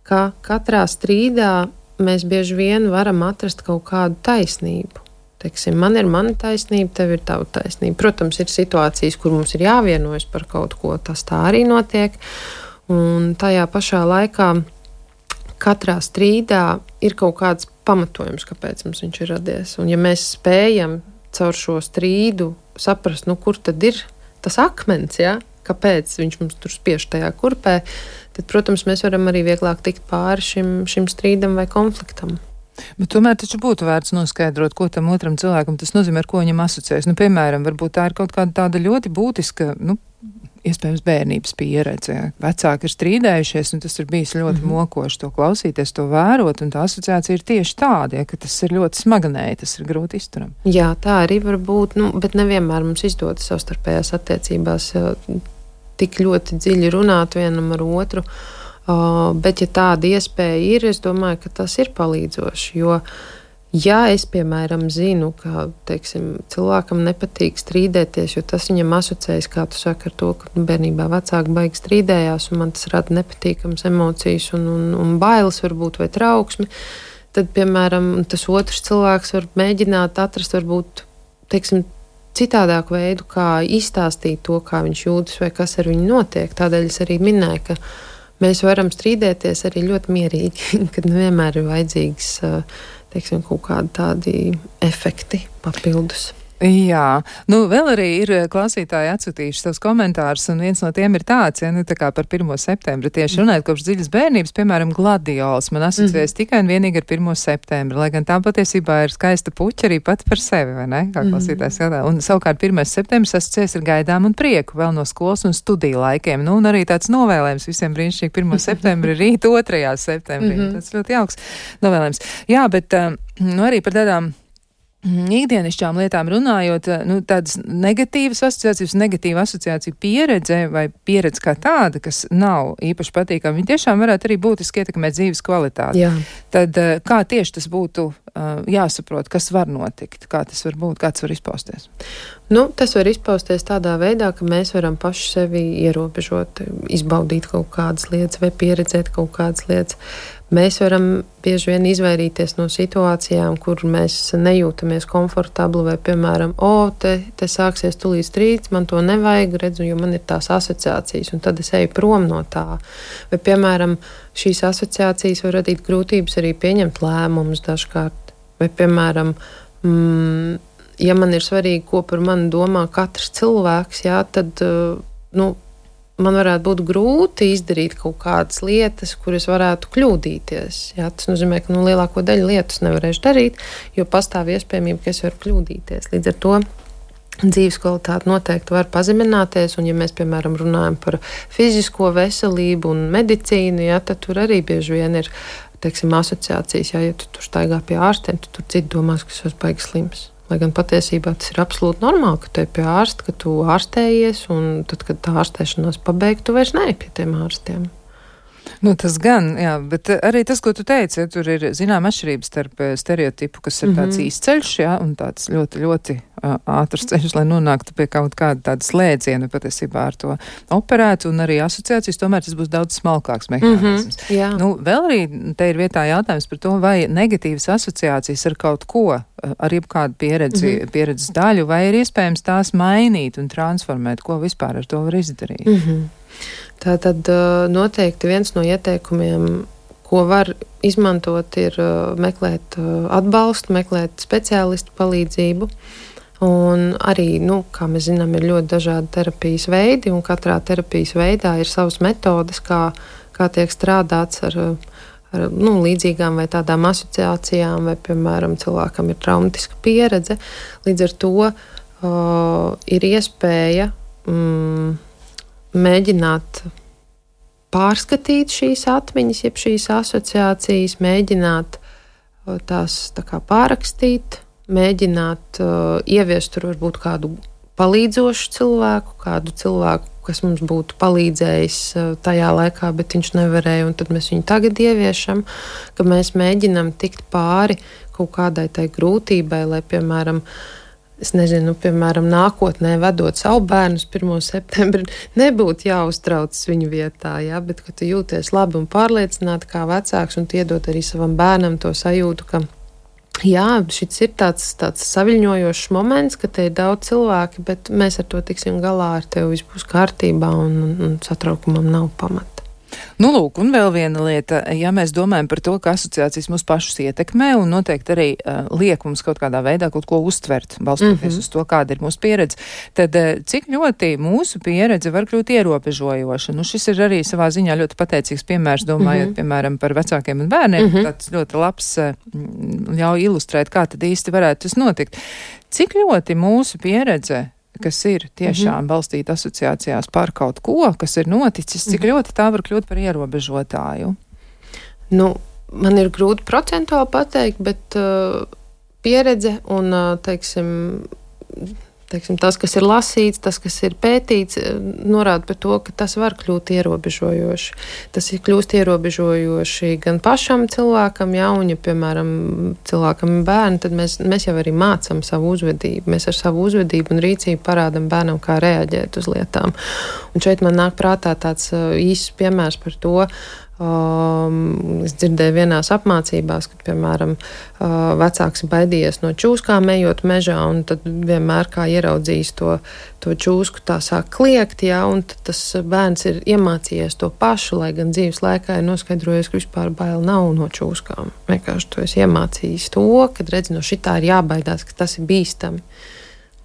ka katrā strīdā mēs bieži vien varam atrast kaut kādu taisnību. Teiksim, man ir mana taisnība, tev ir tava taisnība. Protams, ir situācijas, kur mums ir jāvienojas par kaut ko, tas tā arī notiek. Un tajā pašā laikā katrā strīdā ir kaut kāds pamatojums, kāpēc mums viņš ir radies. Un ja mēs spējam caur šo strīdu saprast, nu, kur tad ir tas akmens, ja? Kāpēc viņš mums tur spiež tajā kurpē, tad, protams, mēs varam arī vieglāk tikt pāri šim, šim strīdam vai konfliktam. Bet tomēr taču būtu vērts noskaidrot, ko tam otram cilvēkam tas nozīmē, ar ko viņam asociējas. Nu, piemēram, varbūt tā ir kaut kāda tāda ļoti būtiska, nu, iespējams bērnības pieredze. Vecāki ir strīdējušies, un tas ir bijis ļoti mm-hmm. mokoši to klausīties, to vērot, un tā asociācija ir tieši tāda, ja, ka tas ir ļoti smagnēji, tas ir grūti izturam. Jā, tā arī var būt, nu, bet nevienmēr mums izdodas savstarpējās attiecībās tik ļoti dziļi runāt vienam ar otru, uh, bet ja tāda iespēja ir, es domāju, ka tas ir palīdzoši, jo ja es, piemēram, zinu, ka, teiksim, cilvēkam nepatīk strīdēties, jo tas viņam asociējas, kā tu saki, ar to, ka bērnībā vecāki baigi strīdējās, un man tas rada nepatīkams emocijas un, un, un bailes varbūt vai trauksmi, tad, piemēram, tas otrs cilvēks var mēģināt atrast varbūt, teiksim, citādāku veidu, kā izstāstīt to, kā viņš jūtas vai kas ar viņu notiek. Tādēļ es arī minēju, ka mēs varam strīdēties arī ļoti mierīgi, kad nevienmēr ir vajadzīgs teiksim, kaut kādi tādi efekti papildus. Jā, nu vēl arī ir klausītāji atsūtījuši savus komentārus, un viens no tiem ir tāds, ja, nu tā kā par pirmo septembri tieši runājot kopš dziļas bērnības, piemēram, gladiols man asociējas mm. tikai un vienīgi ar pirmo septembri, lai gan tā patiesībā ir skaista puķa arī pat par sevi, vai ne, kā klausītājs jautā. Un savukārt pirmais septembris asociējas ar gaidām un prieku vēl no skolas un studiju laikiem, nu un arī tāds novēlējums visiem brīnišķīgi pirmo septembri rīt otrajā septembrī. Mm-hmm. Tas ļoti jauks novēlējums. Jā, bet nu arī par tādām ikdienišķām lietām runājot, nu, tādas negatīvas asociācijas, negatīva asociācija pieredze vai pieredze kā tāda, kas nav īpaši patīkama, viņi tiešām varētu arī būtiski ietekmēt dzīves kvalitāti. Jā. Tad kā tieši tas būtu uh, jāsaprot, kas var notikt, kā tas var būt, kā tas var izpausties? Nu, tas var izpausties tādā veidā, ka mēs varam paši sevi ierobežot, izbaudīt kaut kādas lietas vai pieredzēt kaut kādas lietas. Mēs varam bieži vien izvairīties no situācijām, kur mēs nejūtamies komfortabli, vai, piemēram, o, te, te sāksies tulīt strīds, man to nevajag, redzu, jo man ir tās asociācijas, un tad es eju prom no tā. Vai, piemēram, šīs asociācijas var radīt grūtības arī pieņemt lēmumus dažkārt. Vai, piemēram, mm, ja man ir svarīgi, ko par mani domā katrs cilvēks, jā, tad, nu, man varētu būt grūti izdarīt kaut kādas lietas, kuras varētu kļūdīties. Jā, tas nozīmē, ka nu, lielāko daļu lietas nevarēšu darīt, jo pastāv iespējamība, ka es varu kļūdīties. Līdz ar to dzīves kvalitāte noteikti var pazemināties, un ja mēs, piemēram, runājam par fizisko veselību un medicīnu, jā, tad tur arī bieži vien ir, teiksim, asociācijas, jā, ja tu tur staigā pie ārstiem, tu tur citi domās, ka es esmu baigi slims. Lai gan patiesībā tas ir absolūti normāli, ka tu ej pie ārsta, ka tu ārstējies, un tad, kad tā ārstēšanās pabeigta, tu vairs neej pie tiem ārstiem. Nu, tas gan, jā, bet arī tas, ko tu teici, ja tur ir zinām atšķirības starp stereotipu, kas ir tāds mm-hmm. īsceļš, jā, un tāds ļoti, ļoti uh, ātrs ceļš, lai nonāktu pie kaut kāda tāda slēdziena, patiesībā ar to operētu, un arī asociācijas, tomēr tas būs daudz smalkāks mehānisms. Mm-hmm, jā. Nu, vēl arī te ir vietā jautājums par to, vai negatīvas asociācijas ar kaut ko, ar jebkādu pieredzi, mm-hmm. pieredzes daļu, vai ir iespējams tās mainīt un transformēt, ko vispār ar to var izdarīt. Mm-hmm. Tātad noteikti viens no ieteikumiem, ko var izmantot, ir meklēt atbalstu, meklēt speciālistu palīdzību. Un arī, nu, kā mēs zinām, ir ļoti dažādi terapijas veidi, un katrā terapijas veidā ir savas metodes, kā, kā tiek strādāts ar, ar nu, līdzīgām vai tādām asociācijām, vai, piemēram, cilvēkam ir traumatiska pieredze. Līdz ar to uh, ir iespēja mm, mēģināt pārskatīt šīs atmiņas, jeb šīs asociācijas, mēģināt tās tā kā pārrakstīt, mēģināt uh, ieviest tur varbūt kādu palīdzošu cilvēku, kādu cilvēku, kas mums būtu palīdzējis uh, tajā laikā, bet viņš nevarēja, un tad mēs viņu tagad ieviešam, ka mēs mēģinam tikt pāri kaut kādai tai grūtībai, lai, piemēram, es nezinu, piemēram, nākotnē vedot savu bērnu uz pirmo septembri, nebūtu jāuztraucas viņu vietā, jā, bet ka tu jūties labi un pārliecināti kā vecāks un iedot arī savam bērnam to sajūtu, ka jā, šis ir tāds, tāds saviļņojošs moments, ka te ir daudz cilvēki, bet mēs ar to tiksim galā, ar tevi viss būs kārtībā un, un, un satraukumam nav pamata. Nu, lūk, un vēl viena lieta, ja mēs domājam par to, ka asociācijas mūs pašus ietekmē un noteikti arī uh, liek mums kaut kādā veidā kaut ko uztvert, balstoties mm-hmm. uz to, kāda ir mūsu pieredze, tad uh, cik ļoti mūsu pieredze var kļūt ierobežojoša. Nu, šis ir arī savā ziņā ļoti pateicīgs piemērs, domājot, mm-hmm. piemēram, par vecākiem un bērniem. Mm-hmm. Tāds ļoti labs uh, ļauj ilustrēt, kā tad īsti varētu tas notikt. Cik ļoti mūsu pieredze, kas ir tiešām mm-hmm. balstīta asociācijās par kaut ko, kas ir noticis, cik mm-hmm. ļoti tā var kļūt par ierobežotāju? Nu, man ir grūti procentuāli pateikt, bet uh, pieredze un, uh, teiksim, teiksim, tas, kas ir lasīts, tas, kas ir pētīts, norāda par to, ka tas var kļūt ierobežojoši. Tas ir kļūst ierobežojoši gan pašam cilvēkam, ja, un, ja, piemēram, cilvēkam ir bērni, tad mēs, mēs jau arī mācam savu uzvedību. Mēs ar savu uzvedību un rīcību parādam bērnam, kā reaģēt uz lietām. Un šeit man nāk prātā tāds īsts piemērs par to. Um, es dzirdēju vienās apmācībās, ka, piemēram, uh, vecāks baidījies no čūskām ejot mežā, un tad vienmēr kā ieraudzījis to, to čūsku, tā sāk kliegt, jā, un tad tas bērns ir iemācījies to pašu, lai gan dzīves laikā ir noskaidrojies, ka vispār bail nav no čūskām. Vienkārši to es iemācījis to, kad redz, no šitā ir jābaidās, ka tas ir bīstami.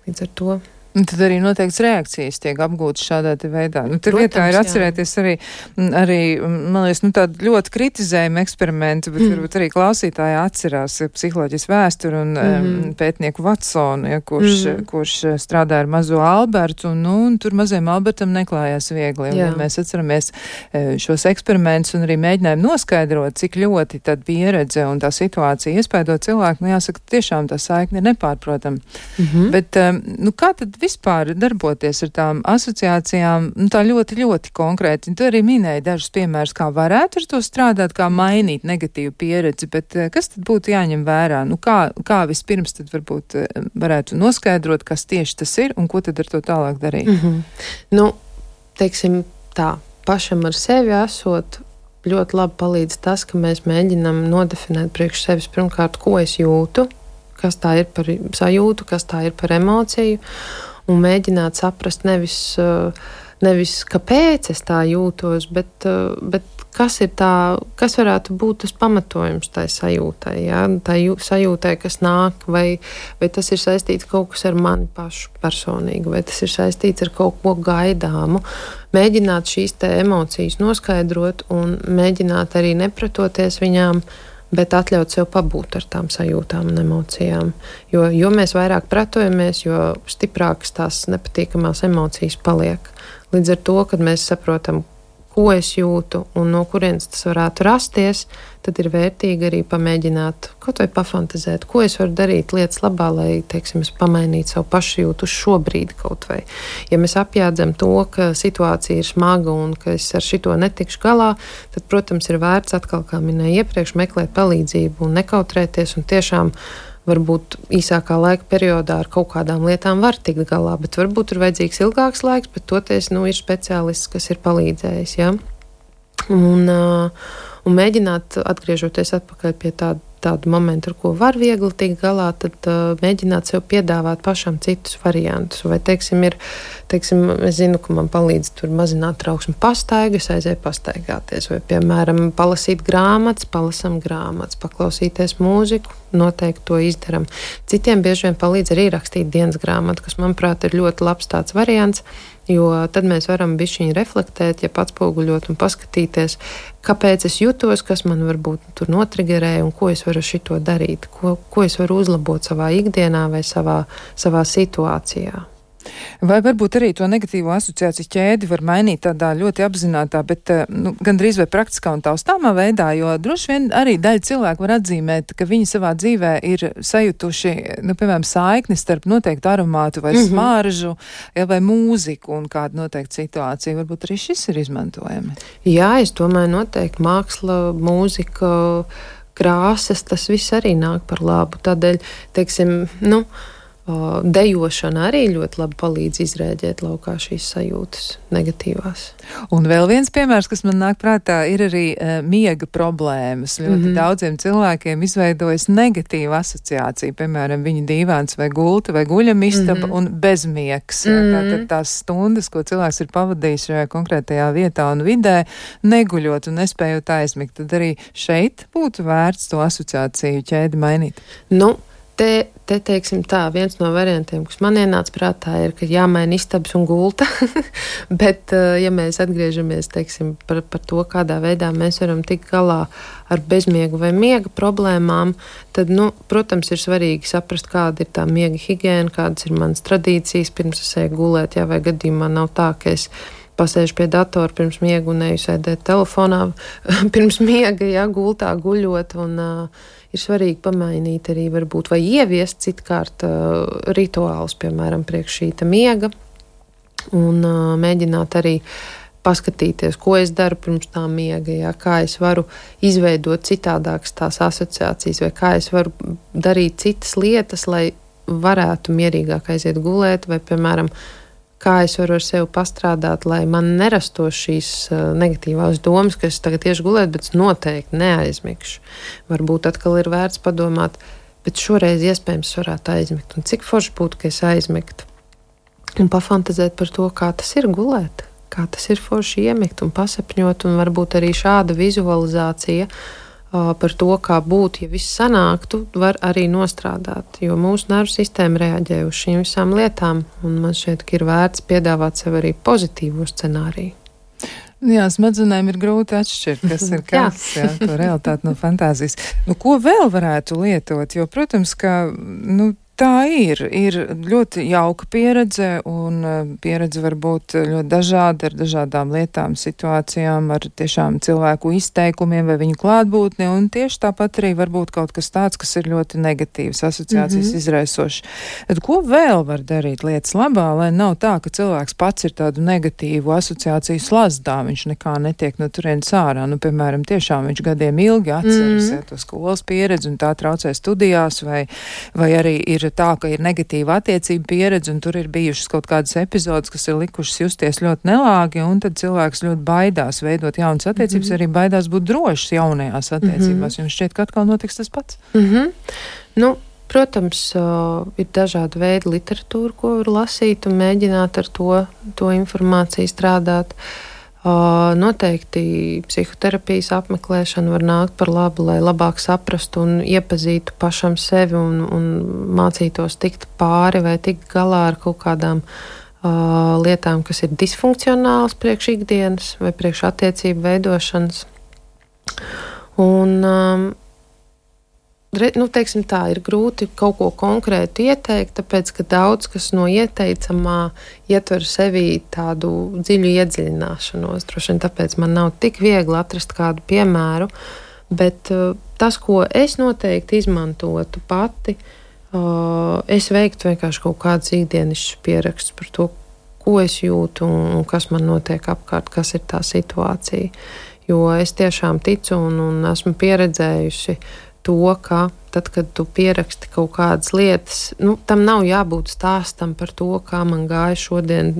Līdz ar to. Un tad arī noteikts reakcijas tiek apgūtas šādā te veidā. Nu, tur Protams, vietā ir jā. atcerēties arī, arī, man liekas, nu tādu ļoti kritizējumu eksperimentu, bet mm. varbūt arī klausītāji atcerās psiholoģijas vēsturu un mm. um, pētnieku Vatsonu, ja, kurš, mm. kurš strādā ar mazo Albertu, un, nu, un tur mazajam Albertam neklājās viegli. Un, ja mēs atceramies šos eksperimentus un arī mēģinājām noskaidrot, cik ļoti tad pieredze un tā situācija iespaido cilvēku, nu jāsaka, tiešām tā saikne ir nepārprotama. Mm-hmm. Bet, um, nu kā tad vispār darboties ar tām asociācijām, nu tā ļoti, ļoti konkrēti. Tu arī minēji dažus piemērus, kā varētu ar to strādāt, kā mainīt negatīvu pieredzi, bet kas tad būtu jāņem vērā? Nu kā, kā vispirms tad varbūt varētu noskaidrot, kas tieši tas ir un ko tad ar to tālāk darīt? Mm-hmm. Nu, teiksim tā, pašam ar sevi esot, ļoti labi palīdz tas, ka mēs mēģinam nodefinēt priekš sevis pirmkārt, ko es jūtu, kas tā ir par sajūtu, kas tā ir par emociju, un mēģināt saprast nevis, nevis kāpēc es tā jūtos, bet, bet kas ir tā, kas varētu būt tas pamatojums tai sajūtai, ja? Tai sajūtai, kas nāk, vai, vai tas ir saistīts kaut kas ar mani pašu personīgi, vai tas ir saistīts ar kaut ko gaidāmu. Mēģināt šīs te emocijas noskaidrot un mēģināt arī nepretoties viņām, bet atļaut sev pabūt ar tām sajūtām un emocijām. Jo, jo mēs vairāk pretojamies, jo stiprākas tās nepatīkamās emocijas paliek. Līdz ar to, kad mēs saprotam, ko es jūtu un no kurienes tas varētu rasties, tad ir vērtīgi arī pamēģināt kaut vai pafantazēt, ko es varu darīt lietas labā, lai, teiksim, es pamainītu savu pašjūtu uz šo brīdi kaut vai. Ja mēs apjādzam to, ka situācija ir smaga un ka es ar šito netikšu galā, tad, protams, ir vērts atkal, kā minēju iepriekš, meklēt palīdzību un nekautrēties un tiešām varbūt īsākā laika periodā ar kaut kādām lietām var tikt galā, bet varbūt ir vajadzīgs ilgāks laiks, bet toties, nu, ir speciālists, kas ir palīdzējis, ja? Un, uh, un mēģināt, atgriežoties atpakaļ pie tāda tādu momentu, ar ko var viegli tikt galā, tad uh, mēģināt sev piedāvāt pašam citus variantus. Vai, teiksim, ir, teiksim, es zinu, ka man palīdz tur mazināt trauksmi pastaigas, aizēju pastaigāties, vai, piemēram, palasīt grāmatas, palasam grāmatas, paklausīties mūziku, noteikti to izdaram. Citiem bieži vien palīdz arī rakstīt dienas grāmatu, kas, manuprāt, ir ļoti labs tāds variants, jo tad mēs varam bišķiņi reflektēt, ja atspoguļot un paskatīties, kāpēc es jutos, kas man varbūt tur notrigerēja un ko es varu šito darīt, ko, ko es varu uzlabot savā ikdienā vai savā, savā situācijā. Vai varbūt arī to negatīvo asociāciju ķēdi var mainīt tādā ļoti apzinātā, bet nu, gandrīz vai praktiskā un taustāmā veidā, jo droši vien arī daļa cilvēku var atzīmēt, ka viņi savā dzīvē ir sajutuši, nu, piemēram, saikni starp noteiktu aromātu vai mm-hmm. smaržu, ja, vai mūziku un kādu noteiktu situāciju. Varbūt arī šis ir izmantojami. Jā, es domāju, noteikti māksla, mūzika, krāsas, tas viss arī nāk par labu. Tādēļ, teiksim, nu, dejošana arī ļoti labi palīdz izrēģēt laukā šīs sajūtas negatīvās. Un vēl viens piemērs, kas man nāk prātā, ir arī uh, miega problēmas. Ļoti mm-hmm. daudziem cilvēkiem izveidojas negatīva asociācija, piemēram, viņa dīvāns vai gulta vai guļamistaba mm-hmm. un bezmiegs. Mm-hmm. Tātad tās stundas, ko cilvēks ir pavadījis šajā konkrētajā vietā un vidē, neguļot un nespējot aizmigt, tad arī šeit būtu vērts to asociāciju ķēdi mainīt. Nu, Te, te, teiksim tā, viens no variantiem, kas man ienāca prātā, ir, ka jāmaina istabas un gulta, bet, ja mēs atgriežamies, teiksim, par, par to, kādā veidā mēs varam tikt galā ar bezmiegu vai miega problēmām, tad, nu, protams, ir svarīgi saprast, kāda ir tā miega higiēna, kādas ir manas tradīcijas, pirms es eju gulēt, jā, vai gadījumā nav tā, ka es pasēžu pie datora pirms miega un eju sēdēt telefonā pirms miega, jā, gultā guļot, un uh, ir svarīgi pamainīt arī varbūt vai ieviest citkārt uh, rituālus, piemēram, priekš šīta miega, un uh, mēģināt arī paskatīties, ko es daru pirms tā miega, jā, kā es varu izveidot citādākas tās asociācijas, vai kā es varu darīt citas lietas, lai varētu mierīgāk aiziet gulēt, vai, piemēram, kā es varu ar sevi pastrādāt, lai man nerastos šīs uh, negatīvās domas, ka es tagad tieši gulēt, bet noteikti neaizmigšu. Varbūt atkal ir vērts padomāt, bet šoreiz iespējams varētu aizmigt. Un cik forši būtu, ka es aizmigtu. Un pafantazēt par to, kā tas ir gulēt, kā tas ir forši iemigt un pasapņot, un varbūt arī šāda vizualizācija par to, kā būtu, ja viss sanāktu, var arī nostrādāt, jo mūsu nervu sistēma reaģē uz šīm visām lietām, un man šķiet, ka ir vērts piedāvāt sev arī pozitīvo scenāriju. Jā, smadzenēm ir grūti atšķirt, kas ir kas, jā, to realitāti no fantāzijas. Nu, ko vēl varētu lietot? Jo, protams, ka, nu, tā ir. Ir ļoti jauka pieredze, un pieredze var būt ļoti dažāda, ar dažādām lietām, situācijām, ar tiešām cilvēku izteikumiem vai viņu klātbūtni, un tieši tāpat arī var būt kaut kas tāds, kas ir ļoti negatīvs, asociācijas mm-hmm. izraisošs. Tad ko vēl var darīt lietas labā, lai nav tā, ka cilvēks pats ir tādu negatīvu asociāciju slazdā, viņš nekā netiek no turienes ārā. Nu, piemēram, tiešām viņš gadiem ilgi atceras mm-hmm. to skolas pieredzi, un tā traucē studijās, vai, vai arī ir tā, ka ir negatīva attiecība pieredze, un tur ir bijušas kaut kādas epizodes, kas ir likušas justies ļoti nelāgi, un tad cilvēks ļoti baidās veidot jaunas attiecības, mm-hmm. arī baidās būt drošs jaunajās attiecībās. Mm-hmm. Jums šķiet, ka atkal notiks tas pats? Mm-hmm. Nu, protams, uh, ir dažādi veidi literatūra, ko var lasīt un mēģināt ar to, to informāciju strādāt. Uh, noteikti psihoterapijas apmeklēšana var nākt par labu, lai labāk saprastu un iepazītu pašam sevi un, un mācītos tikt pāri vai tikt galā ar kaut kādām uh, lietām, kas ir disfunkcionālas priekš ikdienas vai priekš attiecību veidošanas. Un, um, re, nu, teiksim tā, ir grūti kaut ko konkrētu ieteikt, tāpēc, ka daudz kas no ieteicamā ietver sevī tādu dziļu iedziļināšanos. Droši vien tāpēc man nav tik viegli atrast kādu piemēru, bet uh, tas, ko es noteikti izmantotu pati, uh, es veiktu vienkārši kaut kādus ikdienišķus pierakstus par to, ko es jūtu un, un kas man notiek apkārt, kas ir tā situācija. Jo es tiešām ticu un, un esmu pieredzējusi to, ka tad, kad tu pieraksti kaut kādas lietas, nu, tam nav jābūt stāstam par to, kā man gāja šodien,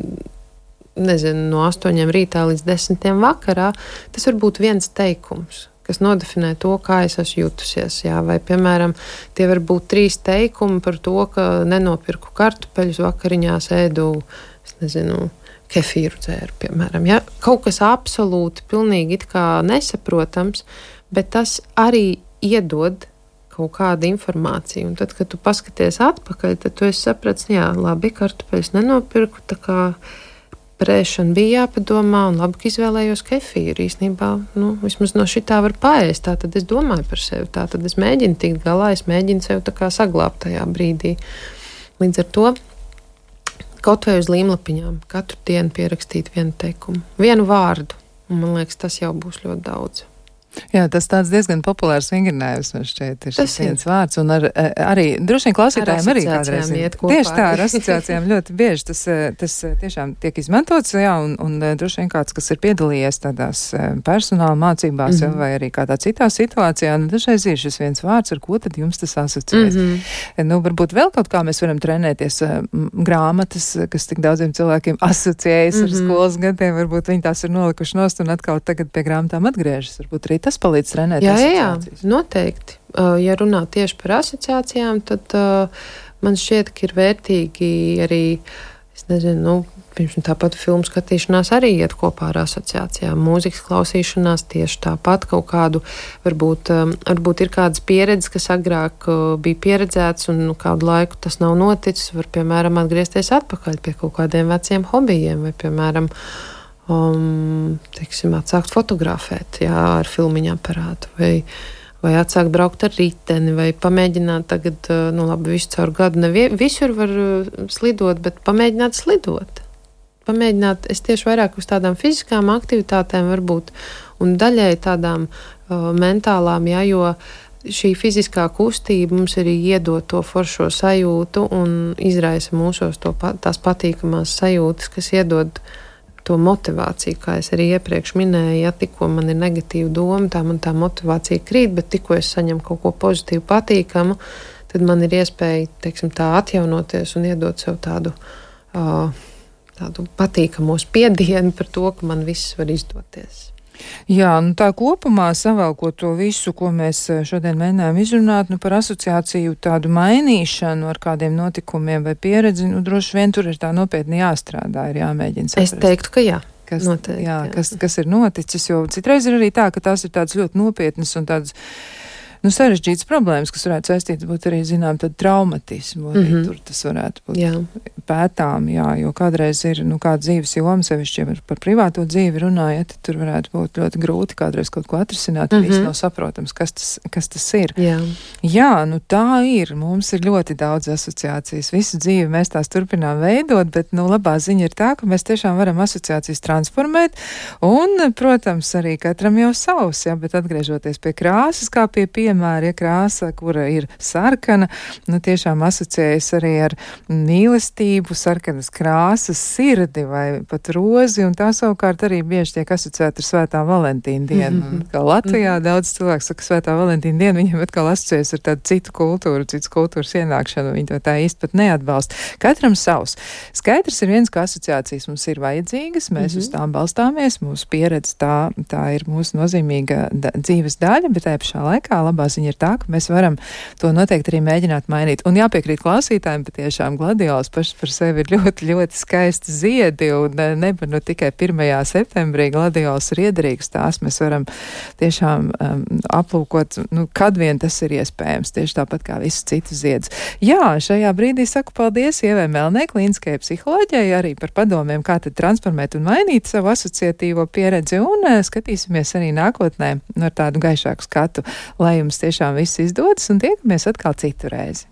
nezinu, no astoņiem rītā līdz desmitiem vakarā. Tas var būt viens teikums, kas nodefinē to, kā es esmu jutusies. Jā, vai, piemēram, tie var būt trīs teikumi par to, ka nenopirku kartupeļus vakariņās, ēdu, es nezinu, kefīru dzēru, piemēram. Ja? Kaut kas absolūti, pilnīgi it kā nesaprotams, bet tas arī iedod kaut kādu informāciju. Un tad, kad tu paskaties atpakaļ, tad tu esi saprats, jā, labi, kartupeļus nenopirku, tā kā prēšana bija jāpadomā, un labi, ka izvēlējos kefīru. Īstenībā, nu, vismaz no šitā var paēst, tā tad es domāju par sevi, tā tad es mēģinu tikt galā, es mēģinu sevi tā kā saglābt tajā brīdī. Līdz ar to kaut vai uz līmlapiņām katru dienu pierakstīt vienu teikumu, vienu vārdu, un man liekas, tas jau būs ļoti daudz. Jā, tas tāds diezgan populārs vingrinājums, man šķiet, ir tas šis viens vārds, un ar, arī, droši vien klausītājiem arī kādreiz ir. Tieši tā, ar asociācijām ļoti bieži tas, tas tiešām tiek izmantots, jā, un, un droši vien kāds, kas ir piedalījies tādās personāla mācībās, mm-hmm. vai arī kādā citā situācijā, un dažreiz ir šis viens vārds, ar ko tad jums tas asociēs. Mm-hmm. Nu, varbūt vēl kaut kā mēs varam trenēties grāmatas, kas tik daudziem cilvēkiem asociējas mm-hmm. ar skolas gadiem, varbūt viņi tās ir nolikuši nost un atkal tagad pie grāmatām atgriežas, varbūt arī tas palīdz trenēt jā, asociācijas. Jā, noteikti. Uh, ja runā tieši par asociācijām, tad uh, man šķiet, ka ir vērtīgi arī, es nezinu, nu, pirms tāpat filmu skatīšanās arī iet kopā ar asociācijām. Mūzikas klausīšanās tieši tāpat kaut kādu, varbūt, um, varbūt ir kādas pieredzes, kas agrāk uh, bija pieredzētas un nu, kādu laiku tas nav noticis, var, piemēram, atgriezties atpakaļ pie kaut kādiem veciem hobijiem vai, piemēram, Um, teiksim, atsākt fotografēt, jā, ar filmiņu aparātu, vai, vai atsākt braukt ar riteni, vai pamēģināt tagad, nu labi, visu caur gadu, ne visur var slidot, bet pamēģināt slidot. Pamēģināt, es tieši vairāk uz tādām fiziskām aktivitātēm varbūt, un daļai tādām uh, mentālām, jā, jo šī fiziskā kustība mums arī iedod to foršo sajūtu un izraisa mūsos to, tās patīkamās sajūtas, kas iedod to motivāciju, kā es arī iepriekš minēju, ja tikko man ir negatīva doma, tā man tā motivācija krīt, bet tikko es saņemu kaut ko pozitīvu, patīkamu, tad man ir iespēja, teiksim, tā atjaunoties un iedot sev tādu, uh, tādu patīkamo spiedienu par to, ka man viss var izdoties. Jā, nu tā kopumā savalkot to visu, ko mēs šodien mēģinājām izrunāt, nu par asociāciju tādu mainīšanu ar kādiem notikumiem vai pieredzi, nu droši vien tur ir tā nopietni jāstrādā, ir jāmēģina saprast. Es teiktu, ka jā. kas, Noteikti, jā, jā. kas, kas ir noticis, jo citreiz ir arī tā, ka tās ir tādas ļoti nopietnas un tādas, nu, sarežģītas problēmas, kas varētu saistīt būt arī, zinām, tad traumatismu, arī Mhm. tur tas varētu būt Jā. pētām, jā, jo kādreiz ir, nu, kāda dzīves joma, sevišķi, ja par privāto dzīvi runājot, tad tur varētu būt ļoti grūti kādreiz kaut ko atrisināt, Mhm. viss nav saprotams, kas tas, kas tas ir. Jā. Jā, nu tā ir. Mums ir ļoti daudz asociācijas. Visu dzīvi mēs tās turpinām veidot, bet, nu, labā ziņa ir tā, ka mēs tiešām varam asociācijas transformēt, un, protams, arī katram jau savs, jā, bet atgriežoties pie krāsas, kā pie piemēra, ja krāsa, kura ir sarkana, nu, tiešām asociējas arī ar mīlestību, sarkanas krāsas, sirdi vai pat rozi, un tā savukārt arī bieži tiek asociēta ar Svētā Valentīna dienu. Mhm. Un, kā Latvijā daudz cilvēku saka Svētā Valentīna dienu, viņiem atkal asociējas ar tādu citu kultūru, citas kultūras ienākšanu, viņi to tā īsti pat neatbalsta. Katram savs. Skaidrs ir viens, ka asociācijas mums ir vajadzīgas, mēs Mhm. uz tām balstāmies, mūsu pieredze tā, tā ir mūsu nozīmīga da dzīves daļa, bet tajā pašā laikā labā ziņa ir tā, ka mēs varam to noteikti arī mēģināt mainīt. Un jāpiekrīt klausītājiem, patiešām gladiols pašs par sevi ir ļoti, ļoti skaisti ziedi, un nevar nu tikai pirmajā septembrī gladiols ir iederīgs, tās mēs varam tiešām um, aplūkot, nu, kad vien tas ir iespējams, tieši tāpat kā visas citas ziedus. Jā, šajā brīdī saku paldies Ievai Melnē, klīniskajai psiholoģijai, arī par padomiem, kā tad transformēt un mainīt savu asociatīvo pieredzi, un uh, skatīsimies arī nākotnē ar tādu gaišāku skatu, lai jums tiešām viss izdodas, un tiekamies atkal citu reizi.